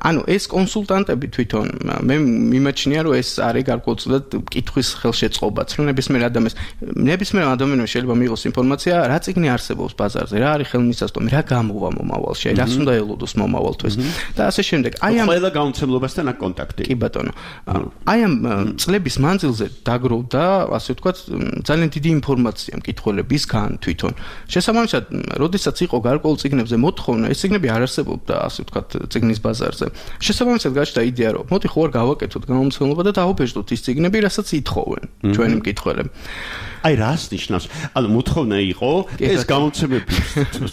ანუ ეს კონსულტანტები თვითონ მე მიმაჩნია, რომ ეს არის გარკვეულწილად კითხვის ხელშეწყობაც, რომ ნებისმიერ ადამიანმა შეიძლება მიიღოს ინფორმაცია, რა წიგნი არსებობს ბაზარზე, რა არის ხელმისაწვდომი, რა გამოვა მომავალში, რას უნდა ელოდოს მომავალთვის და ასე შემდეგ. აი ამ ყველა გამომცემლობასთან აქვს კონტაქტი. კი ბატონო. აი ამ წლების მანძილზე დაგროვდა, ასე ვთქვათ, ძალიან დიდი ინფორმაცია მკითხველებისგან თვითონ. შესაბამისად, როდესაც იყო გარკვეულ წიგნებზე მოთხოვნა, ეს წიგნები არ არსებობდა, ასე ვთქვათ, წიგნის ბაზარზე. შესაბამისად გაჩნდა იდეა, რომ მოდი ხო არ გავაკეთოთ გამომცემლობა და დავაბეჭდოთ ის წიგნები, რასაც ითხოვენ ჩვენი მკითხველები. აი რას ნიშნავს? ანუ მოთხოვნა იყო ეს გამოცემები,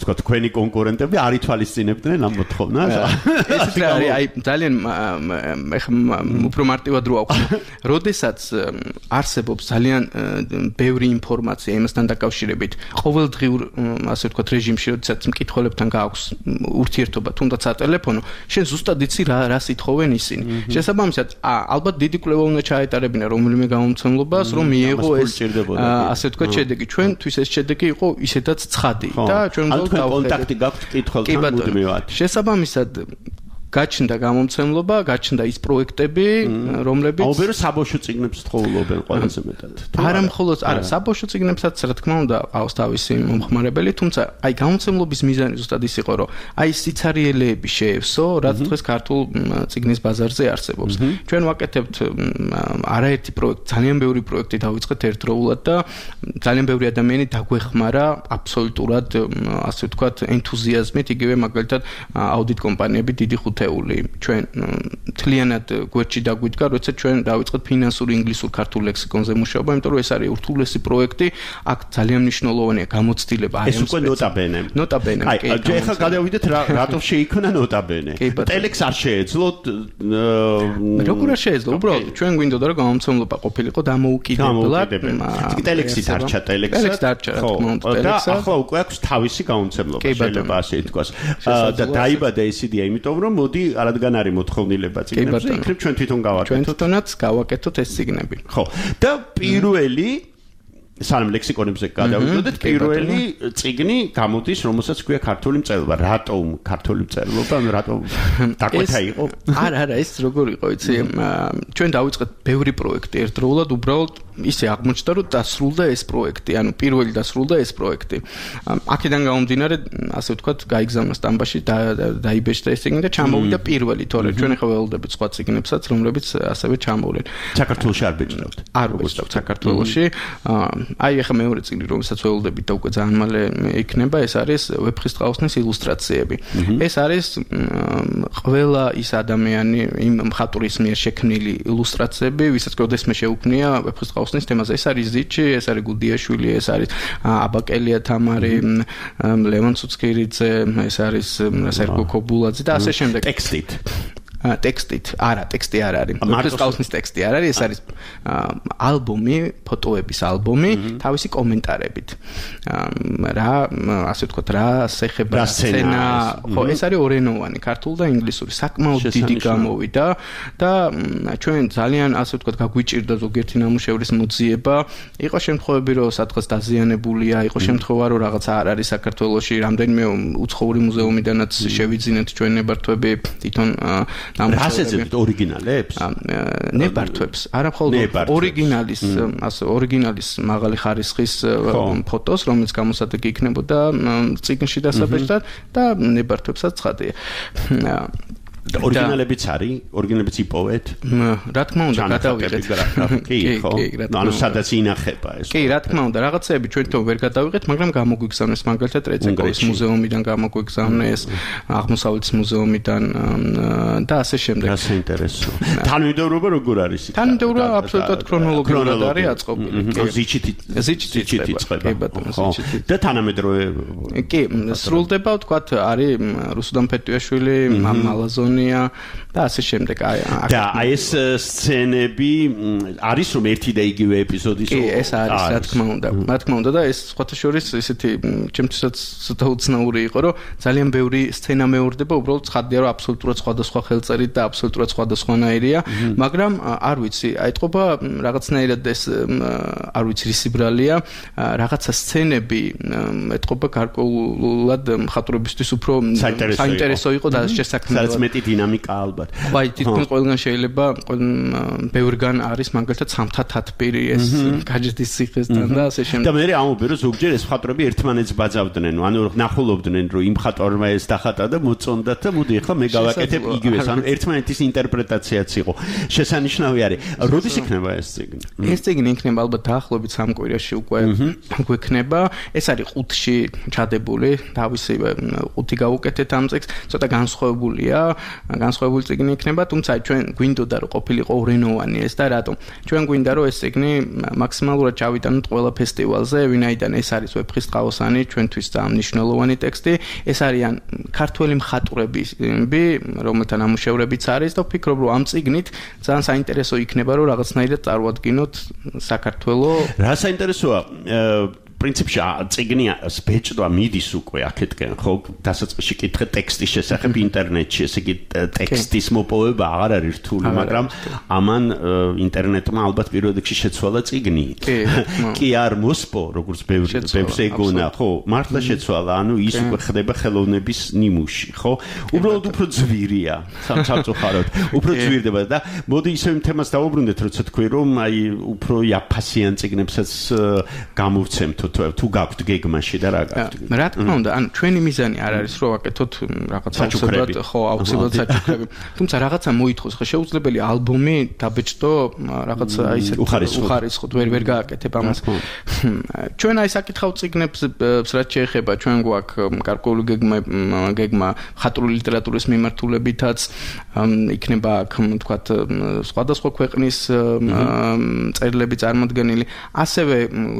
თქვა თქვენი კონკურენტები არ ითვალისწინებდნენ ამ მოთხოვნას. ეს რა არის? აი ძალიან უფრო მარტივად რო აქვს. როდესაც არსებობს ძალიან ბევრი ინფორმაცია იმასთან დაკავშირებით, ყოველდღიურ ასე ვთქვათ რეჟიმში, როდესაც მკითხველებთან გააქვს ურთიერთობა, თუნდაც ატელეფონო, შენ ზუსტად იცი რას ითხოვენ ისინი. შესაბამისად, ალბათ დიდი კვლევა უნდა ჩაეტარებინა რომელიმე გამომცემლობას, რომ მიიღო ეს ასე ვთქვათ შედეგი. ჩვენთვის ეს შედეგი იყო ისედაც ცხადი და ჩვენ დავხედეთ. კონტაქტი გაქვთ კითხველთან მუდმივად. შესაბამისად გაჩნდა გამომცემლობა, გაჩნდა ის პროექტები, რომლებიც აუბერო საბავშვო წიგნებს თხოვლობენ ყველაზე მეტად. არა მხოლოდ, არა, საბავშვო წიგნებსაც რა თქმა უნდა ყავს თავისი მომხმარებელი, თუმცა აი გამომცემლობის მიზანი ზუსტად ის იყო, რომ აი სიცარიელეები შეევსო, რაც დღეს ქართულ წიგნის ბაზარზე არსებობს. ჩვენ ვაკეთებთ არაერთი პროექტი, ძალიან ბევრი პროექტი დავიწყეთ ერთდროულად და ძალიან ბევრი ადამიანი დაგვეხმარა აბსოლუტურად, ასე ვთქვათ, ენთუზიაზმით, იგივე მაგალითად აუდიტ კომპანიები დიდი ჩვენ თლიანად გვერდში დაგვიდგა, როცა ჩვენ დავიწყეთ ფინანსური ინგლისურ-ქართულ ლექსიკონზე მუშაობა, იმიტომ რომ ეს არის ურთულესი პროექტი, აქ ძალიან მნიშვნელოვანია გამოცდილება. ეს უკვე ნოტაბენე. აი, ახლა გადავიდეთ რატო შეიქმნა ნოტაბენე. ტელექს არ შეეძლო. როგორ არ შეეძლო? უბრალოდ ჩვენ გვინდოდა რომ გამომცემლობა ყოფილიყო დამოუკიდებლად. ტელექსი დარჩა, ტელექსი დარჩა, რა თქმა უნდა, ტელექსა. და ახლა უკვე აქვს თავისი გამომცემლობა, შეიძლება ასე ითქვას. და დაიბადა ეს იდეა, იმიტომ რომ მოდი არადგან არის მოთხოვნილება წიგნებზე, იქნებ ჩვენ თვითონ გავაკეთოთ. ჩვენ თვითონაც გავაკეთოთ ეს წიგნები. ხო. და პირველი სანამ ლექსიკონებზე გადავიდოდეთ, პირველი წიგნი გამოდის, რომელსაც ქვია ქართული მწერლობა. რატომ ქართული მწერლობა? ანუ რატომ დაკვეთა იყო? არა, ეს როგორ იყო, იცი? ჩვენ დავიწყეთ ბევრი პროექტი ერთდროულად, უბრალოდ ისე აღმოჩნდა, რომ დასრულდა ეს პროექტი, ანუ პირველი დასრულდა ეს პროექტი. აქედან გამომდინარე, ასე ვთქვათ, გაიგზავნა სტამბაში, დაიბეჭდა ეს წიგნი და ჩამოვიდა პირველი, თორე ჩვენ ახლა ველოდებით სხვა წიგნებსაც, რომლებიც ასევე ჩამოვლენ. საქართველოში არ ბეჭდავთ? არ ვეჭდავთ საქართველოში. აი ახლა მეორე წიგნი, რომელსაც ველოდებით და უკვე ძალიან მალე იქნება, ეს არის ვეფხისტყაოსნის ილუსტრაციები. ეს არის ყველა ის ადამიანი, იმ მხატვრის მიერ შექმნილი ილუსტრაციები, ვისაც გოდესმე შეუქმნია ვეფხისტყაოსნის თემაზე. ეს არის ზიჩი, ეს არის გუდიაშვილი, ეს არის აბაკელია თამარი, ლევან ცუცქირიძე, ეს არის სერგო კობულაძე და ასე შემდეგ. ტექსტით, არა, ტექსტი არ არის. ვეფხისტყაოსნის ტექსტი არ არის, ეს არის ალბომი, ფოტოების ალბომი, თავისი კომენტარებით. რა, ასე ვთქვათ, რა სეხება, სცენა, ხო, ეს არის ორენოვანი, ქართული და ინგლისური, საკმაოდ დიდი გამოვიდა და ჩვენ ძალიან, ასე ვთქვათ, გაგვიჭირდა ზოგიერთი ნამუშევრის მოძიება. იყო შემთხვევები, რომ სადღაც დაზიანებულია, იყო შემთხვევა, რომ რაღაცა არ არის საქართველოში, რამდენიმე უცხოური მუზეუმიდანაც შევიძინეთ ჩვენ ნებართვები, თვითონ რასეძებთ ორიგინალებს? ნებართვებს, არა მხოლოდ ორიგინალის მაღალი ხარისხის ფოტოს, რომელიც გამოსადეგი იქნებოდა წიგნში დასაბეჭდად და ნებართვებსაც ცხადია. ორიგინალებიც არის? ორიგინალებიც იპოვეთ? რა თქმა უნდა, გადავიღეთ. კი, ხო. ანუ სადაც ინახება ეს. კი, რა თქმა უნდა, რაღაცეები ჩვენ თვითონ ვერ გადავიღეთ, მაგრამ გამოგვიგზავნეს მაგალითად რეცეკრის მუზეუმიდან გამოგვიგზავნეს, აღმოსავლეთის მუზეუმიდან და ასე შემდეგ. რა საინტერესო. თანმიმდევრობა როგორ არის? თანმიმდევრობა აბსოლუტურად ქრონოლოგიურად არის აწყობილი. ზიჩით იწყება. კი ბატონო, ზიჩით. და თანამედროვე კი, სრულდება, ვთქვათ, არის რუსუდან ფეტიაშვილი, მალაზონია და ასე შემდეგ. და აი ეს სცენები არის რომ ერთი და იგივე ეპიზოდის კი, ეს არის, რა თქმა უნდა. რა თქმა უნდა და ეს სხვათა შორის ესეთი ჩემთვისაც ცოტა უცნაური იყო, რომ ძალიან ბევრი სცენა მეორდება, უბრალოდ ცხადია, რომ აბსოლუტურად სხვადასხვა ხელწერით და აბსოლუტურად სხვადასხვანაირია, მაგრამ არ ვიცი, აიტყობა რაღაცნაირად ეს არ ვიცი რის ბრალია, რაღაცა სცენები ეტყობა გარკვეულად მხატვრებისთვის უფრო საინტერესო იყო და შესაქმნელად. მეტი დინამიკა ალბათ. ვაი, თითქმის ყველგან შეიძლება, ბევრგან არის მაგალითად სამთა თათბირი ეს გაჯეთის ციხესთან და ასე შემდეგ. და მე ამობე რომ ზოგჯერ ეს მხატვრები ერთმანეთს ბაძავდნენ, ანუ ნახულობდნენ რომ იმ მხატვარმა ეს დახატა და მოწონდათ და მოდი ახლა მე გავაკეთებ იგივეს, ანუ ერთმანეთის ინტერპრეტაციაც იყო. შესანიშნავი არის. როდის იქნება ეს წიგნი? ეს წიგნი იქნება ალბათ დაახლოებით 3 კვირაში უკვე გვექნება. ეს არის 5-ში ჩადებული, თავისი 5 გავუკეთეთ ამ წიგნს, ცოტა განსხვავებულია. განსხვავებული წიგნი იქნება, თუმცა ჩვენ გვინდოდა რომ ყოფილიყო ურენოვანი ეს და რატომ? ჩვენ გვინდა რომ ეს წიგნი მაქსიმალურად ჩავიტანოთ ყველა ფესტივალზე, ვინაიდან ეს არის ვეფხისტყაოსანი, ჩვენთვის ძალიან მნიშვნელოვანი ტექსტი. ეს არიან ქართველი მხატვრები, რომელთა ნამუშევრებიც არის და ვფიქრობ რომ ამ წიგნით ძალიან საინტერესო იქნება რომ რაღაცნაირად წარვადგინოთ საქართველოს. რა საინტერესოა პრინციპში წიგნი ბეჭდვა მიდის უკვე აქეთკენ ხო დასაწყისში კითხე ტექსტის შესახებ ინტერნეტში ესე იგი ტექსტის მოპოვება აღარ არის რთული მაგრამ ამან ინტერნეტმა ალბათ პირველ რიგში შეცვალა წიგნი კი არ მოსპო როგორც ბევრს ეგონა ხო მართლა შეცვალა ანუ ის უკვე ხდება ხელოვნების ნიმუში ხო უბრალოდ უფრო ძვირია სამწუხაროდ უფრო ძვირდება და მოდი ისევ თემას დავუბრუნდეთ როცა თქვი რომ აი უფრო იაფასიან წიგნებსაც გამოვცემთ თუ გაქვთ გეგმაში და რა გაქვთ? რა თქმა უნდა, ანუ ჩვენი მიზანი არ არის რომ ვაკეთოთ რაღაცა აუცილებლად ხო, აუცილებლად საჩუქრები. თუმცა რაღაცა მოითხოს, ხო, შეუძლებელი ალბომი დაბეჭდო რაღაცა ისეთ უხარისხოდ ვერ გააკეთებ ამას. ჩვენ აი საკითხავ წიგნებს რაც შეეხება ჩვენ გვაქვს გარკვეული გეგმა მხატვრული ლიტერატურის მიმართულებითაც იქნება აქ თქვათ სხვადასხვა ქვეყნის წერილები წარმოდგენილი. ასევე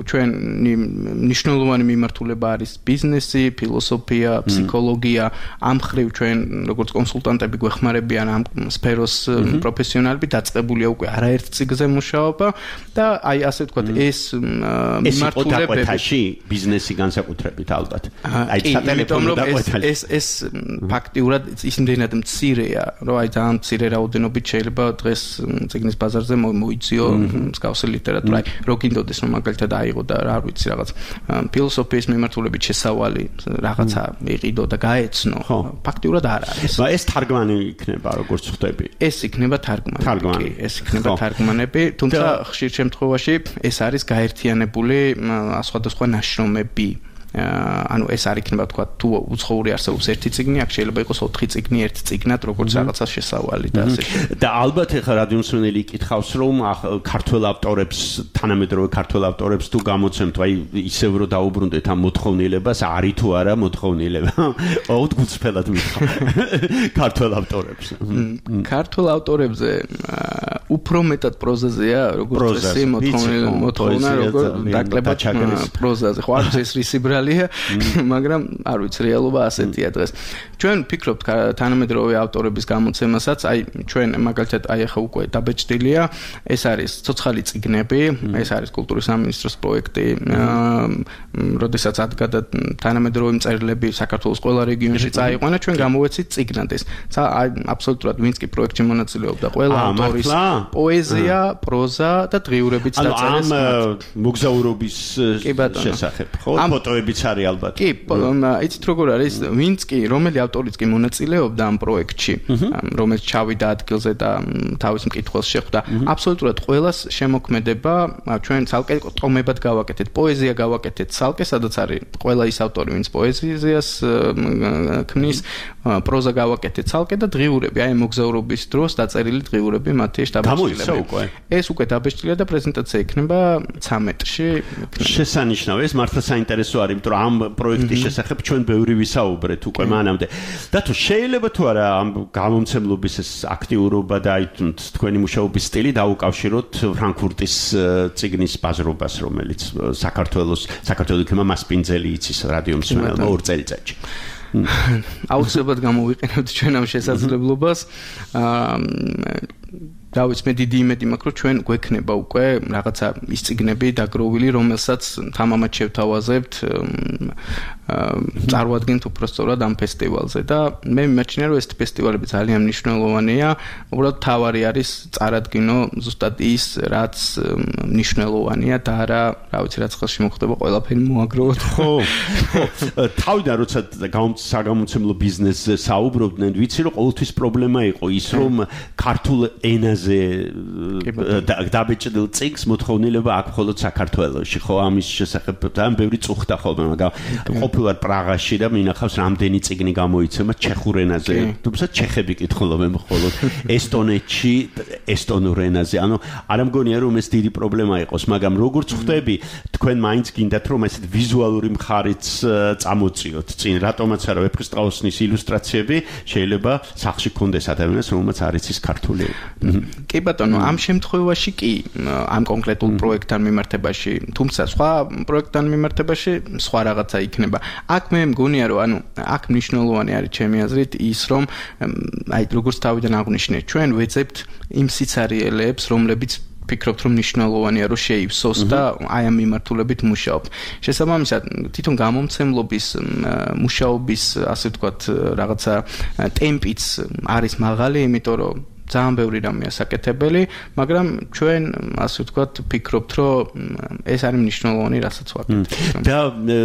ჩვენი ნიშნულოვანი მიმართულება არის ბიზნესი, ფილოსოფია, ფსიქოლოგია, ამ ხრივ ჩვენ როგორც კონსულტანტები გვეხმარებიან ამ სფეროს პროფესიონალები დაწყებულია უკვე არაერთ წიგნზე მუშაობა და აი ასე ვთქვათ ეს მიმართულებები ბიზნესი განსაკუთრებით ალბათ. აი სატელეფონო დაყვეთილი ეს ფაქტიურად იმდენად მცირეა, რომ აი ძალიან მცირე რაოდენობით შეიძლება დღეს წიგნის ბაზარზე მოიძიო მსგავსი ლიტერატურა. აი რო გინდოდეს რომ მაგალითად აიღო და რა ვიცი რაღაც ფილოსოფიის მიმართულებით შესავალი რაღაცა იყიდო და გაეცნო. ფაქტიურად არ არის. ეს თარგმანი იქნება როგორც ხვდები. ეს იქნება თარგმანი. ეს იქნება თარგმანები, თუმცა ხშირ შემთხვევაში ეს არის გაერთიანებული სხვადასხვა ნაშრომები. ანუ ეს არ იქნება თქვა თუ უცხოური არსებობს ერთი წიგნი, აქ შეიძლება იყოს 4 წიგნი ერთ წიგნად, როგორც რაღაცა შესავალი და ასე შემდეგ. და ალბათ ეხლა რადიომსმენელი იკითხავს, რომ ქართველ ავტორებს, თანამედროვე ქართველ ავტორებს თუ გამოცემთ, აი ისევ რომ დაუბრუნდეთ ამ მოთხოვნილებას, არის თუ არა მოთხოვნილება? აუდგუწფელად მითხავ. ქართველ ავტორებს. ქართველ ავტორებზე უფრო მეტად პროზაზეა, როგორც წესი მოთხოვნა, როგორც დაკლება პროზაზე. ხო, არის ეს რისი მაგრამ არ ვიცი რეალობა ასეთია დღეს. ჩვენ ვფიქრობთ თანამედროვე ავტორების გამოცემასაც, აი ჩვენ მაგალითად აი ახლა უკვე დაბეჭდილია, ეს არის ცოცხალი წიგნები, ეს არის კულტურის სამინისტროს პროექტი, როდესაც ადგადა თანამედროვე მწერლები საქართველოს ყველა რეგიონში წაიყვანა, ჩვენ გამოვეცით წიგნად ეს. აი აბსოლუტურად ვინც კი პროექტში მონაწილეობდა, ყველა ავტორის პოეზია, პროზა და დღიურებიც დაწერეს. ანუ ამ მოგზაურობის შესახებ, ხო? ფოტოებიც არის ალბათ. კი, იცით როგორ არის, ვინც კი, რომელი ავტორიც კი მონაწილეობდა ამ პროექტში, რომელიც ჩავიდა ადგილზე და თავის მკითხველს შეხვდა, აბსოლუტურად ყველას შემოქმედება ჩვენ ცალკე ტომებად გავაკეთეთ, პოეზია გავაკეთეთ ცალკე, სადაც არის ყველა ის ავტორი, ვინც პოეზიას ქმნის, პროზა გავაკეთეთ ცალკე და დღიურები, აი მოგზაურობის დროს დაწერილი დღიურები მათი შტაბში. ეს უკვე დაბეჭდილია და პრეზენტაცია იქნება 13-ში. შესანიშნავი, ეს მართლა საინტერესო არის, იმიტომ რომ ამ პროექტის შესახებ ჩვენ ბევრი ვისაუბრეთ უკვე მანამდე. და თუ შეიძლება თუ არა ამ გამომცემლობის ეს აქტიურობა და აი თქვენი მუშაობის სტილი დაუკავშიროთ ფრანკფურტის წიგნის ბაზრობას, რომელიც საქართველოს იქნება მასპინძელი იცის რადიომსმენელმა 2 წელიწადში. აუცილებლად გამოვიყენებთ ჩვენ ამ შესაძლებლობას. დავიც მე დიდი იმედი მაქვს, რომ ჩვენ გვექნება უკვე რაღაცა ის წიგნები დაგროვილი, რომელსაც თამამად შევთავაზებთ, წარვადგენთ უბრალოდ ამ ფესტივალზე და მე მიმაჩნია, რომ ეს ფესტივალები ძალიან მნიშვნელოვანია, უბრალოდ თავარი არის წარადგინო ზუსტად ის, რაც მნიშვნელოვანია და არა, რა ვიცი, რაც ხელში მოხდება, ყველაფერი მოაგროვოთ. ხო. თავიდან როცა საგამომცემლო ბიზნესზე საუბრობდნენ, ვიცი, რომ ყოველთვის პრობლემა იყო ის, რომ ქართულ ენაზე ენაზე დაბეჭდილ წიგნს მოთხოვნილება აქვს მხოლოდ საქართველოში. ხო, ამის შესახებ ძალიან ბევრი წუხდა ხოლმე, მაგრამ ყოფილვარ პრაღაში და მინახავს რამდენი წიგნი გამოიცემა ჩეხურ ენაზე. თუმცა ჩეხები კითხულობენ მხოლოდ ესტონეთში ესტონურ ენაზე. ანუ არ მგონია რომ ეს დიდი პრობლემა იყოს, მაგრამ როგორც ხვდები, თქვენ მაინც გინდათ რომ ესეთ ვიზუალური მხარიც წამოწიოთ. წინ რატომაც არა ვეფხისტყაოსნის ილუსტრაციები შეიძლება სახში გქონდეს ადამიანს, რომელმაც არ იცის ქართული. კი ბატონო, ამ შემთხვევაში კი ამ კონკრეტულ პროექტთან მიმართებაში, თუმცა სხვა პროექტთან მიმართებაში სხვა რაღაცა იქნება. აქ მე მგონია რომ ანუ აქ მნიშვნელოვანი არის ჩემი აზრით ის რომ აი როგორც თავიდან აღვნიშნე, ჩვენ ვეძებთ იმ სიცარიელეებს, რომლებიც ფიქრობთ რომ მნიშვნელოვანია რომ შეივსოს და აი ამ მიმართულებით მუშაობთ. შესაბამისად, თვითონ გამომცემლობის მუშაობის, ასე ვთქვათ, რაღაცა ტემპიც არის მაღალი, იმიტომ რომ ძალიან ბევრი რამეა საკეთებელი, მაგრამ ჩვენ, ასე ვთქვათ, ფიქრობთ, რომ ეს არის მნიშვნელოვანი, რასაც ვაკეთებთ. და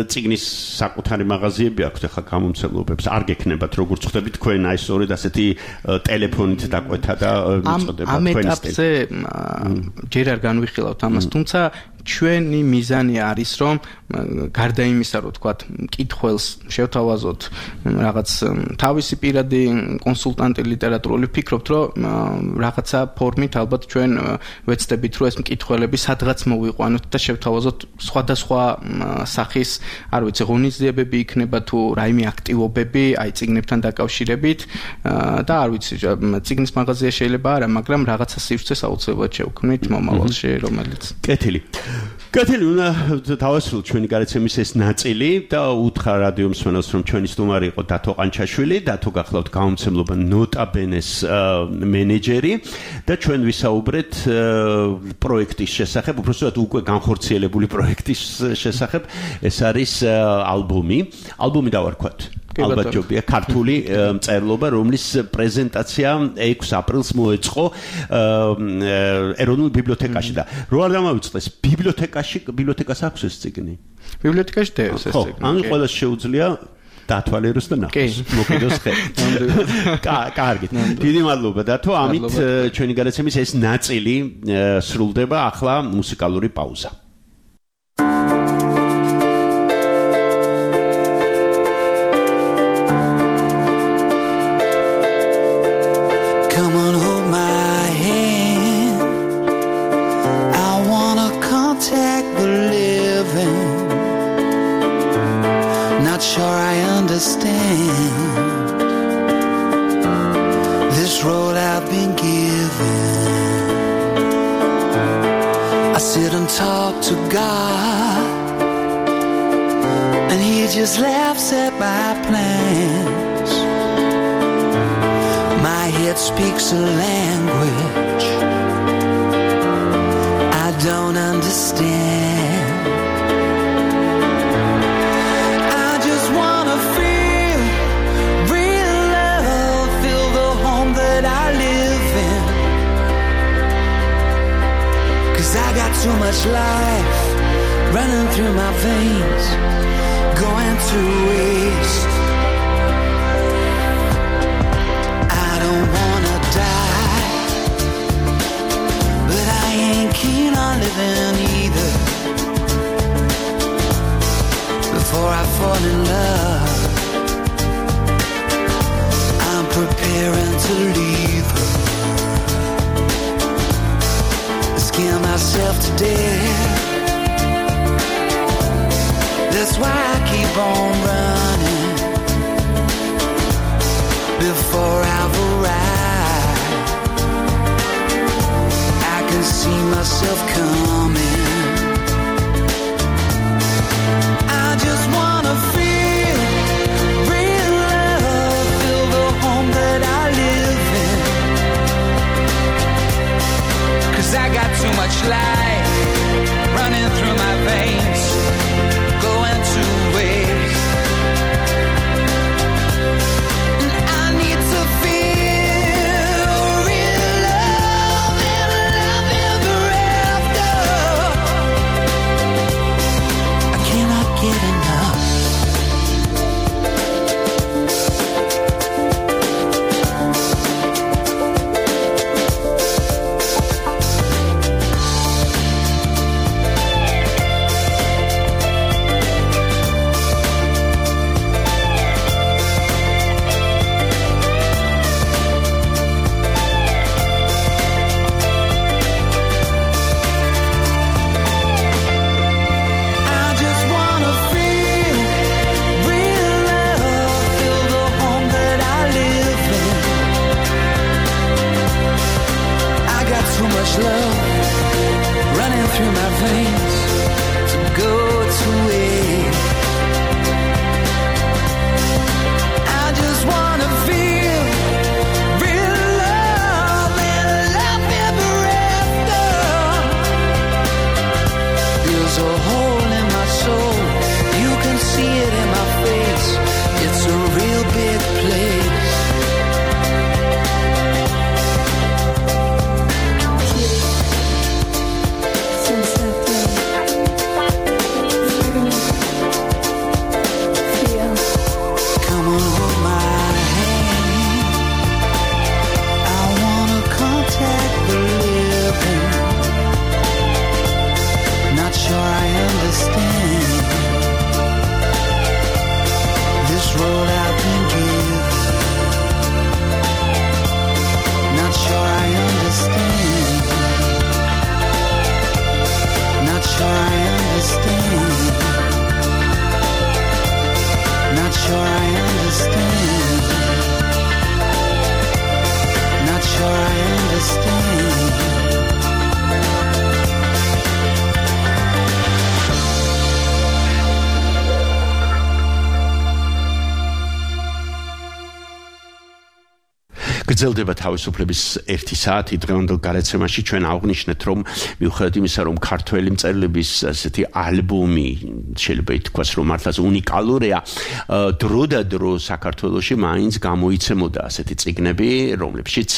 წიგნის საკუთარი მაღაზიები აქვს ახლა გამომცემლობებს. არ გექნებათ, როგორც ხვდებით, თქვენ აი სწორედ ასეთი ტელეფონით დაკვეთა და მიწოდება ამ ეტაპზე ჯერ არ განვიხილავთ ამას, თუმცა ჩვენი მიზანი არის რომ გარდა იმისა რომ თქვათ მკითხველს შევთავაზოთ რაღაც თავისი პირადი კონსულტანტი ლიტერატურული ვფიქრობთ რომ რაღაცა ფორმით ალბათ ჩვენ ვეცდებით რომ ეს მკითხველები სადღაც მოვიყვანოთ და შევთავაზოთ სხვადასხვა სახის არ ვიცი ღონისძიებები იქნება თუ რაიმე აქტივობები აი წიგნებთან დაკავშირებით და არ ვიცი წიგნის მაღაზია შეიძლება არა მაგრამ რაღაცა სივრცეს აუცილებლად შევქმნით მომავალში რომელიც კეთილი უნდა დავასრულოთ ჩვენი გარეთ ეს ნაწილი და უთხრა რადიო მსმენელს რომ ჩვენი სტუმარი იყო დათო ყანჩაშვილი, დათო გახლავთ გამომცემლობა ნოტაბენეს მენეჯერი და ჩვენ ვისაუბრეთ პროექტის შესახებ, უბრალოდ უკვე განხორციელებული პროექტის შესახებ. ეს არის ალბომი დავარქვათ. ალბათ ჯობია ქართული მწერლობა, რომლის პრეზენტაცია 6 აპრილს მოეწყო ეროვნულ ბიბლიოთეკაში და რო არ დამავიწყდეს ბიბლიოთეკას აქვს ეს წიგნი. ბიბლიოთეკაში დევს ეს წიგნი. ანუ ყველას შეუძლია დათვალიეროს და ნახოს. მოკიდოს ხე. კარგით. დიდი მადლობა დათო. ამით ჩვენი გადაცემის ეს ნაწილი სრულდება. ახლა მუსიკალური პაუზა. This role I've been given. I sit and talk to God, and He just laughs at my plans. My head speaks a language I don't understand. I got too much life running through my veins, going to waste. I don't wanna die, but I ain't keen on living either. Before I fall in love, I'm preparing to leave her. Scare myself to death. That's why I keep on running before I've arrived. I can see myself coming. I just wanna feel real love, feel the home that I live in. 'Cause I got too much life running through my veins, going to waste. And I need to feel real love and love ever after. through my veins to go to it. I just wanna feel real love and love ever after. There's a hole in my soul, you can see it in my face. It's a real big place. გრძელდება თავისუფლების 1 საათი დღევანდელ გარეთ-სემაში ჩვენ აღვნიშნეთ რომ მიუხედავად იმისა რომ ქართველი მწერლების ასეთი ალბომი შეიძლება ითქვას რომ მართლაც უნიკალურია დროდადრო საქართველოში მაინც გამოიცემოდა ასეთი წიგნები რომლებშიც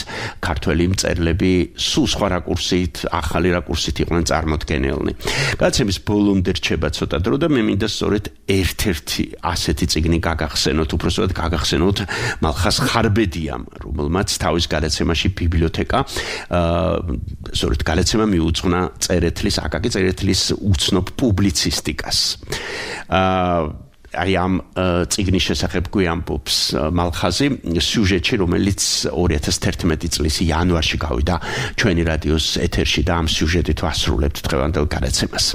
ქართველი მწერლები სულ სხვა რაკურსით ახალი რაკურსით იყვნენ წარმოდგენილნი გადაცემის ბოლომდე რჩება ცოტა დრო და მე მინდა სწორედ ერთ-ერთი ასეთი წიგნი გაგახსენოთ უბრალოდ გაგახსენოთ მალხას ხარბედიამ რომელმაც თავის გადაცემაში ბიბლიოთეკა სწორედ გადაცემა მიუძღვნა წერეთლის აკაკი წერეთლის უცნობ პუბლიცისტიკას აი ამ წიგნის შესახებ გვიამბობს მალხაზი სიუჟეტში რომელიც 2011 წლის იანვარში გავიდა ჩვენი რადიოს ეთერში და ამ სიუჟეტით ვასრულებთ დღევანდელ გადაცემას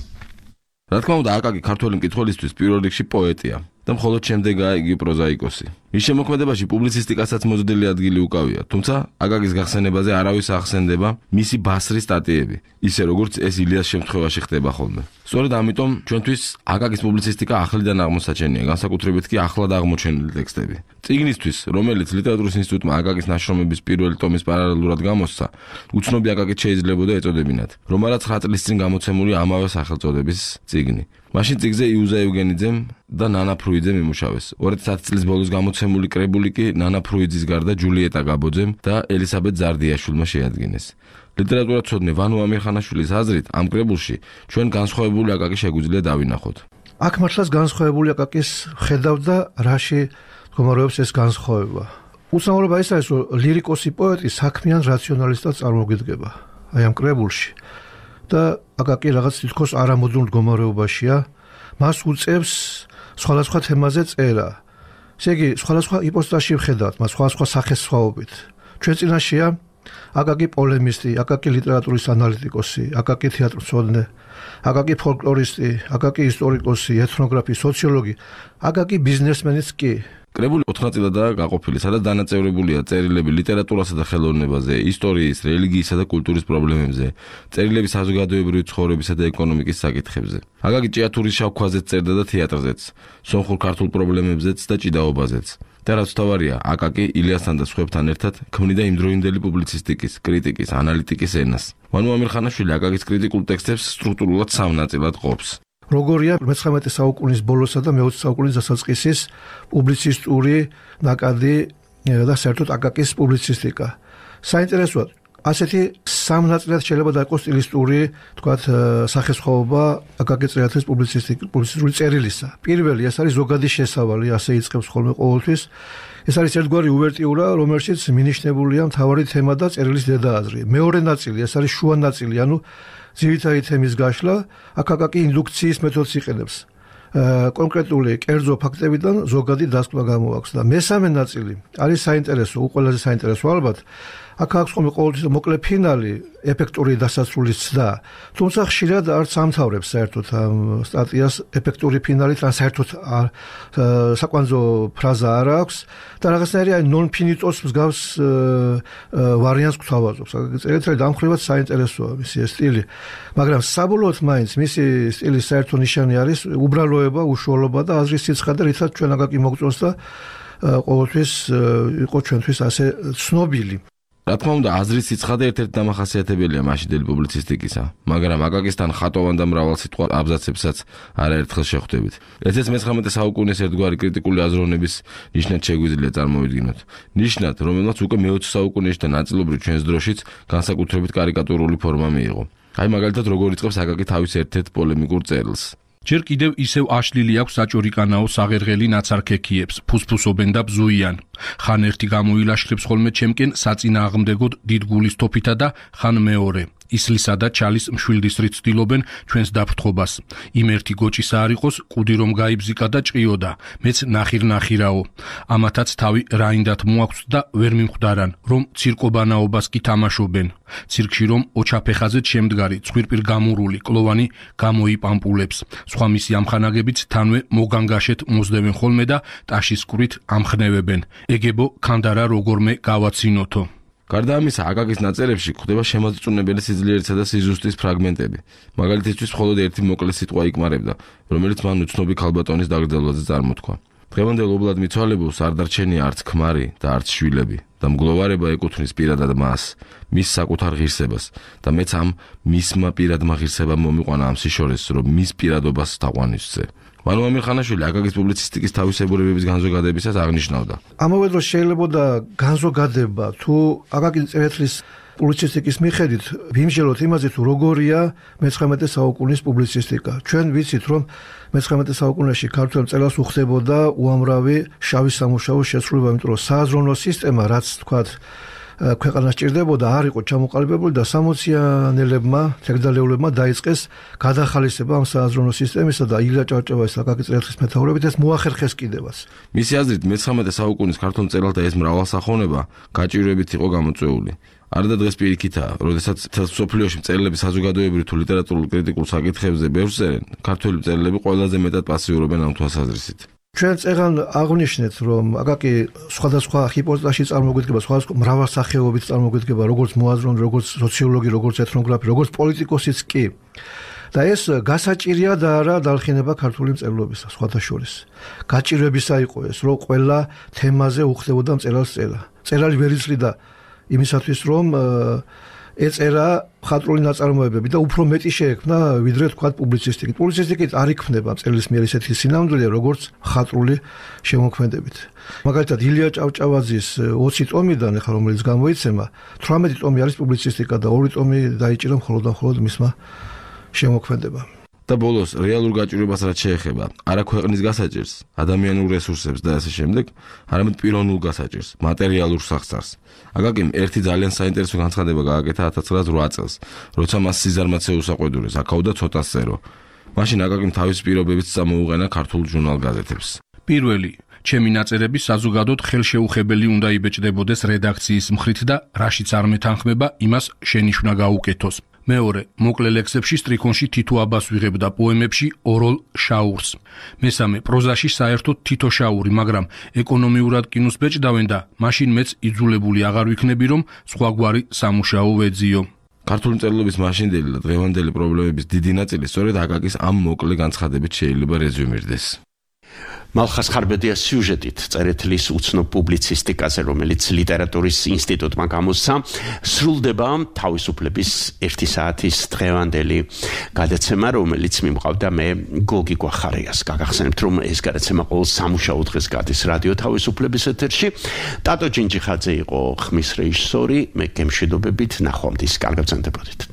რა თქმა უნდა აკაკი ქართველი მკითხველისთვის პირველ რიგში პოეტია და მხოლოდ შემდეგაა იგი პროზაიკოსი. მის შემოქმედებაში პუბლიცისტიკასაც მოზრდილი ადგილი უკავია, თუმცა აკაკის გახსენებაზე არავის ახსენდება მისი ბასრის სტატიები, ისე როგორც ეს ილიას შემთხვევაში ხდება ხოლმე. სწორედ ამიტომ ჩვენთვის აკაკის პუბლიცისტიკა ახლიდან აღმოსაჩენია, განსაკუთრებით კი ახლად აღმოჩენილი ტექსტები. წიგნისთვის, რომელიც ლიტერატურის ინსტიტუტმა აკაკის ნაშრომების პირველი ტომის პარალელურად გამოსცა, უცნობი აკაკით შეიძლებოდა ეწოდებინათ, რომ არა 9 წლის წინ გამოცემული ამავე სახელწოდების წიგნი. მაშინ წიგნზე იუზა ევგენიძემ და ნანა ფრუიძემ იმუშავეს. 2010 წლის ბოლოს გამოცემული კრებული კი ნანა ფრუიძის გარდა ჯულიეტა გაბოძემ და ელისაბედ ზარდიაშვილმა შეადგინეს. ლიტერატურაცოდნე ვანო ამირხანაშვილის აზრით, ამ კრებულში ჩვენ განსხვავებული აკაკი შეგვიძლია დავინახოთ. აქ მართლაც განსხვავებული აკაკის ხედავდა, რაში მდგომარეობს ეს განსხვავება. უცნაურობა ის არის, რომ ლირიკოსი პოეტი საქმიან რაციონალისტად წარმოგიდგება. აი ამ კრებულში და აკაკი რაღაც თითქოს არამოდრონ მდგომარეობაშია, მას უწევს სხვადასხვა თემაზე წერა. ესე იგი, სხვადასხვა იპოსტაში ვხედავთ, მას სხვადასხვა სახესხვაობით. ჩვენ წინაშეა აკაკი პოლემისტი, აკაკი ლიტერატურის ანალიტიკოსი, აკაკი თეატრმცოდნე, აკაკი ფოლკლორისტი, აკაკი ისტორიკოსი, ეთნოგრაფი, სოციოლოგი, აკაკი ბიზნესმენიც კი. კრებული 4 ნაწილადაა გაყოფილი, სადაც დანაწევრებულია წერილები ლიტერატურასა და ხელოვნებაზე, ისტორიის, რელიგიისა და კულტურის პრობლემებზე, წერილები საზოგადოებრივი ცხოვრებისა და ეკონომიკის საკითხებზე. აკაკი ჭიათურის შავ ქვაზეც წერდა და თეატრზეც, სომხურ ქართულ პრობლემებზეც და ჭიდაობაზეც. და რაც თავარია, აკაკი ილიასთან და სხვებთან ერთად ქმნიდა იმდროინდელი პუბლიცისტიკის, კრიტიკის, ანალიტიკის ენას. ვანო ამირხანაშვილი აკაკის კრიტიკულ ტექსტებს სტრუქტურულად 3 ნაწილად ყოფს. როგორია 19 საუკუნის ბოლოსა და მე-20 საუკუნის დასაწყისის პუბლიცისტური ნაკადი და საერთოდ აკაკის პუბლიცისტიკა. საინტერესოა, ასეთი 3 ნაწილად შეიძლება დაიყოს სტილისტური, თქვათ, სახესხვაობა აკაკი წერეთლის პუბლიცისტური წერილისა. პირველი, ეს არის ზოგადი შესავალი, ასე იწყებს ხოლმე ყოველთვის. ეს არის ერთგვარი უვერტიურა, რომელშიც მინიშნებულია მთავარი თემა და წერილის დედააზრი. მეორე ნაწილი, ეს არის შუა ნაწილი, ანუ ძირითადი თემის გაშლა, აქ აკაკი ინდუქციის მეთოდს იყენებს. კონკრეტული კერძო ფაქტებიდან ზოგადი დასკვნა გამოაქვს და მესამე ნაწილი არის საინტერესო, ყველაზე საინტერესო ალბათ. აქ აქვს ხოლმე ყოველთვის მოკლე ფინალი, ეფექტური დასასრულის ცდა. თუმცა ხშირად არც ამთავრებს საერთოდ ამ სტატიას ეფექტური ფინალით, ან საერთოდ საკვანძო ფრაზა არ აქვს და რაღაცნაირი აი non finitos მსგავს ვარიანტს გვთავაზობს. წერეთელი დამხრივად საინტერესოა მისი სტილი, მაგრამ საბოლოოდ მაინც მისი სტილის საერთო ნიშანი არის უბრალოება, უშუალობა და აზრის სიცხადე, რითაც ჩვენ აკაკი მოგწონს და ყოველთვის იყო ჩვენთვის ასე ცნობილი. რა თქმა უნდა, აზრის სიცხადე ერთ-ერთი დამახასიათებელია მაშინდელი პუბლიცისტიკისა, მაგრამ აკაკისთან ხატოვან და მრავალსიტყვა აბზაცებსაც არაერთხელ შეხვდებით. ეს 19 საუკუნის ერთგვარი კრიტიკული აზროვნების ნიშნად შეგვიძლია წარმოვიდგინოთ. ნიშნად, რომელმაც უკვე მე-20 საუკუნეში და ნაწილობრივ ჩვენს დროშიც განსაკუთრებით კარიკატურული ფორმა მიიღო. აი მაგალითად როგორ იწყებს აკაკი თავის ერთ-ერთ პოლემიკურ წერილს. ჯერ კიდევ ისევ აშლილი აქვს საჭორიკანაო საღერღელი ნაცარქექიებს, ფუსფუსობენ და ბზუიან. ხან ერთი გამოილაშქრებს ხოლმე ჩემკენ საწინააღმდეგოდ დიდ გულის თოფითა და ხან მეორე. ისლისა და ჩალის მშვილდისრით ცდილობენ ჩვენს დაფრთხობას. იმ ერთი გოჭისა არ იყოს, კუდი რომ გაიბზიკა და ჭყიოდა, მეც ნახირ-ნახირაო. ამათაც თავი რაინდათ მოაქვს და ვერ მიმხვდარან, რომ ცირკობანაობას კი თამაშობენ. ცირკში რომ ოჩაფეხაზეთ შემდგარი, ცხვირპირ გამურული, კლოვანი გამოიპამპულებს. სხვა მისი ამხანაგებიც თანვე მოგანგაშეთ მოძდევენ ხოლმე და ტაშის კვირით ამხნევებენ. ეგებო ქანდარა როგორმე გავაცინოთო. გარდა ამისა, აკაკის ნაწერებში გვხვდება შემოწუნებელი სიძლიერისა და სიზუსტის ფრაგმენტები. მაგალითისთვის მხოლოდ ერთი მოკლე სიტყვა იკმარებდა, რომელიც მან უცნობი ქალბატონის დაგრძელვაზე წარმოთქვა. დღევანდელ ობლად მიცვალებულს არ დარჩენია არც ქმარი და არც შვილები და მგლოვარება ეკუთვნის პირადად მას, მის საკუთარ ღირსებას და მეც ამ მისმა პირადმა ღირსებამ მომიყვანა ამ სიშორეს, რომ მის პირადობას თაყვანისვზე. მანუ ამირხანაშვილი აკაკის პუბლიცისტიკის თავისებურებების განზოგადებისას აღნიშნავდა. ამავე დროს შეიძლება განზოგადება თუ აკაკის წერეთლის პუბლიცისტიკის მიხედვით ვიმსჯელოთ იმაზე თუ როგორია მე-19 საუკუნის პუბლიცისტიკა. ჩვენ ვიცით რომ მე-19 საუკუნეში ქართველ მწერალს უხდებოდა უამრავი შავი სამუშაოს შესრულება, იმიტომ რომ სააზროვნო სისტემა, რაც თქვათ ქვეყანას ჭირდებოდა, არ იყო ჩამოყალიბებული და 60-იანელებმა, თეგდალეულებმა დაიწყეს გადახალისება ამ სააზროვნო სისტემისა და ილია ჭავჭავაძის აკაკი წერეთლის მეთაურობით ეს მოახერხეს კიდევაც. მისი აზრით მე-19 საუკუნის ქართულ მწერალთა ეს მრავალსახონება გაჭირვებით იყო გამოწვეული. არდა დღეს პირიქითაა, როდესაც მთელ მსოფლიოში მწერლები საზოგადოებრივ თუ ლიტერატურულ კრიტიკულ საკითხებზე ბევრს წერენ, ქართველი მწერლები ყველაზე მეტად პასიურობენ ამ თვალსაზრისით. ჩვენ წეგან აღვნიშნეთ, რომ აკაკი სხვადასხვა ჰიპოთეზაში წარმოგვიდგება, სხვადასხვა მრავალსახეობით წარმოგვიდგება, როგორც მოაზროვნე, როგორც სოციოლოგი, როგორც ეთნოგრაფი, როგორც პოლიტიკოსიც კი. და ეს გასაჭირია და არა დალხინება ქართული მწერლობისა, სხვათა შორის. გაჭირვებისა იყო ეს, რომ ყველა თემაზე უხდებოდა მწერალს წერა. მწერალი ვერ იცლიდა იმისათვის, რომ ეწერა მხატვრული ნაწარმოებები და უფრო მეტი შეექმნა, ვიდრე თქვათ პუბლიცისტიკით. პუბლიცისტიკით არ იქმნება მწერლის მიერ ისეთი სინამდვილე, როგორც მხატვრული შემოქმედებით. მაგალითად, ილია ჭავჭავაძის 20 ტომიდან, ახლა რომელიც გამოიცემა, 18 ტომი არის პუბლიცისტიკა და 2 ტომი დაიჭირა მხოლოდ და მხოლოდ მისმა შემოქმედებამ. და ბოლოს რეალურ გაჭირვებას რაც შეეხება, არა ქვეყნის გასაჭირს, ადამიანურ რესურსებს და ასე შემდეგ, არამედ პიროვნულ გასაჭირს, მატერიალურ სახსარს. აკაკიმ ერთი ძალიან საინტერესო განცხადება გააკეთა 1908 წელს, როცა მას სიზარმაცე უსაყვედურეს, აკავდა ცოტას წერო. მაშინ აკაკიმ თავის პირობებიც წამოუყენა ქართულ ჟურნალ-გაზეთებს. პირველი, ჩემი ნაწერები საზოგადოდ ხელშეუხებელი უნდა იბეჭდებოდეს რედაქციის მხრით და რაშიც არ მეთანხმება, იმას შენიშვნა გაუკეთოს. მეორე, მოკლე ლექსებში სტრიქონში თითო აბას ვიღებ და პოემებში ოროლ შაურს. მესამე, პროზაში საერთოდ თითო შაური, მაგრამ ეკონომიურად კინოს ბეჭდავენ და მაშინ მეც იძულებული აღარ ვიქნები, რომ სხვაგვარი სამუშაო ვეძიო. ქართული მწერლობის მაშინდელი და დღევანდელი პრობლემების დიდი ნაწილი სწორედ აკაკის ამ მოკლე განცხადებით შეიძლება რეზუმირდეს. მალხას ხარბედია სიუჟეტით წერეთლის უცნობ პუბლიცისტიკაზე, რომელიც ლიტერატურის ინსტიტუტმა გამოსცა, სრულდება თავისუფლების 1 საათის დღევანდელი გადაცემა, რომელიც მიმყავდა მე გოგი გვახარიას. გაგახსენებთ, რომ ეს გადაცემა ყოველ სამუშაო დღეს გადის რადიო თავისუფლების ეთერში. ტატო ჯინჯიხაძე იყო ხმის რეჟისორი, მე გემშვიდობებით ნახვამდის. კარგად ბრძანდებოდით.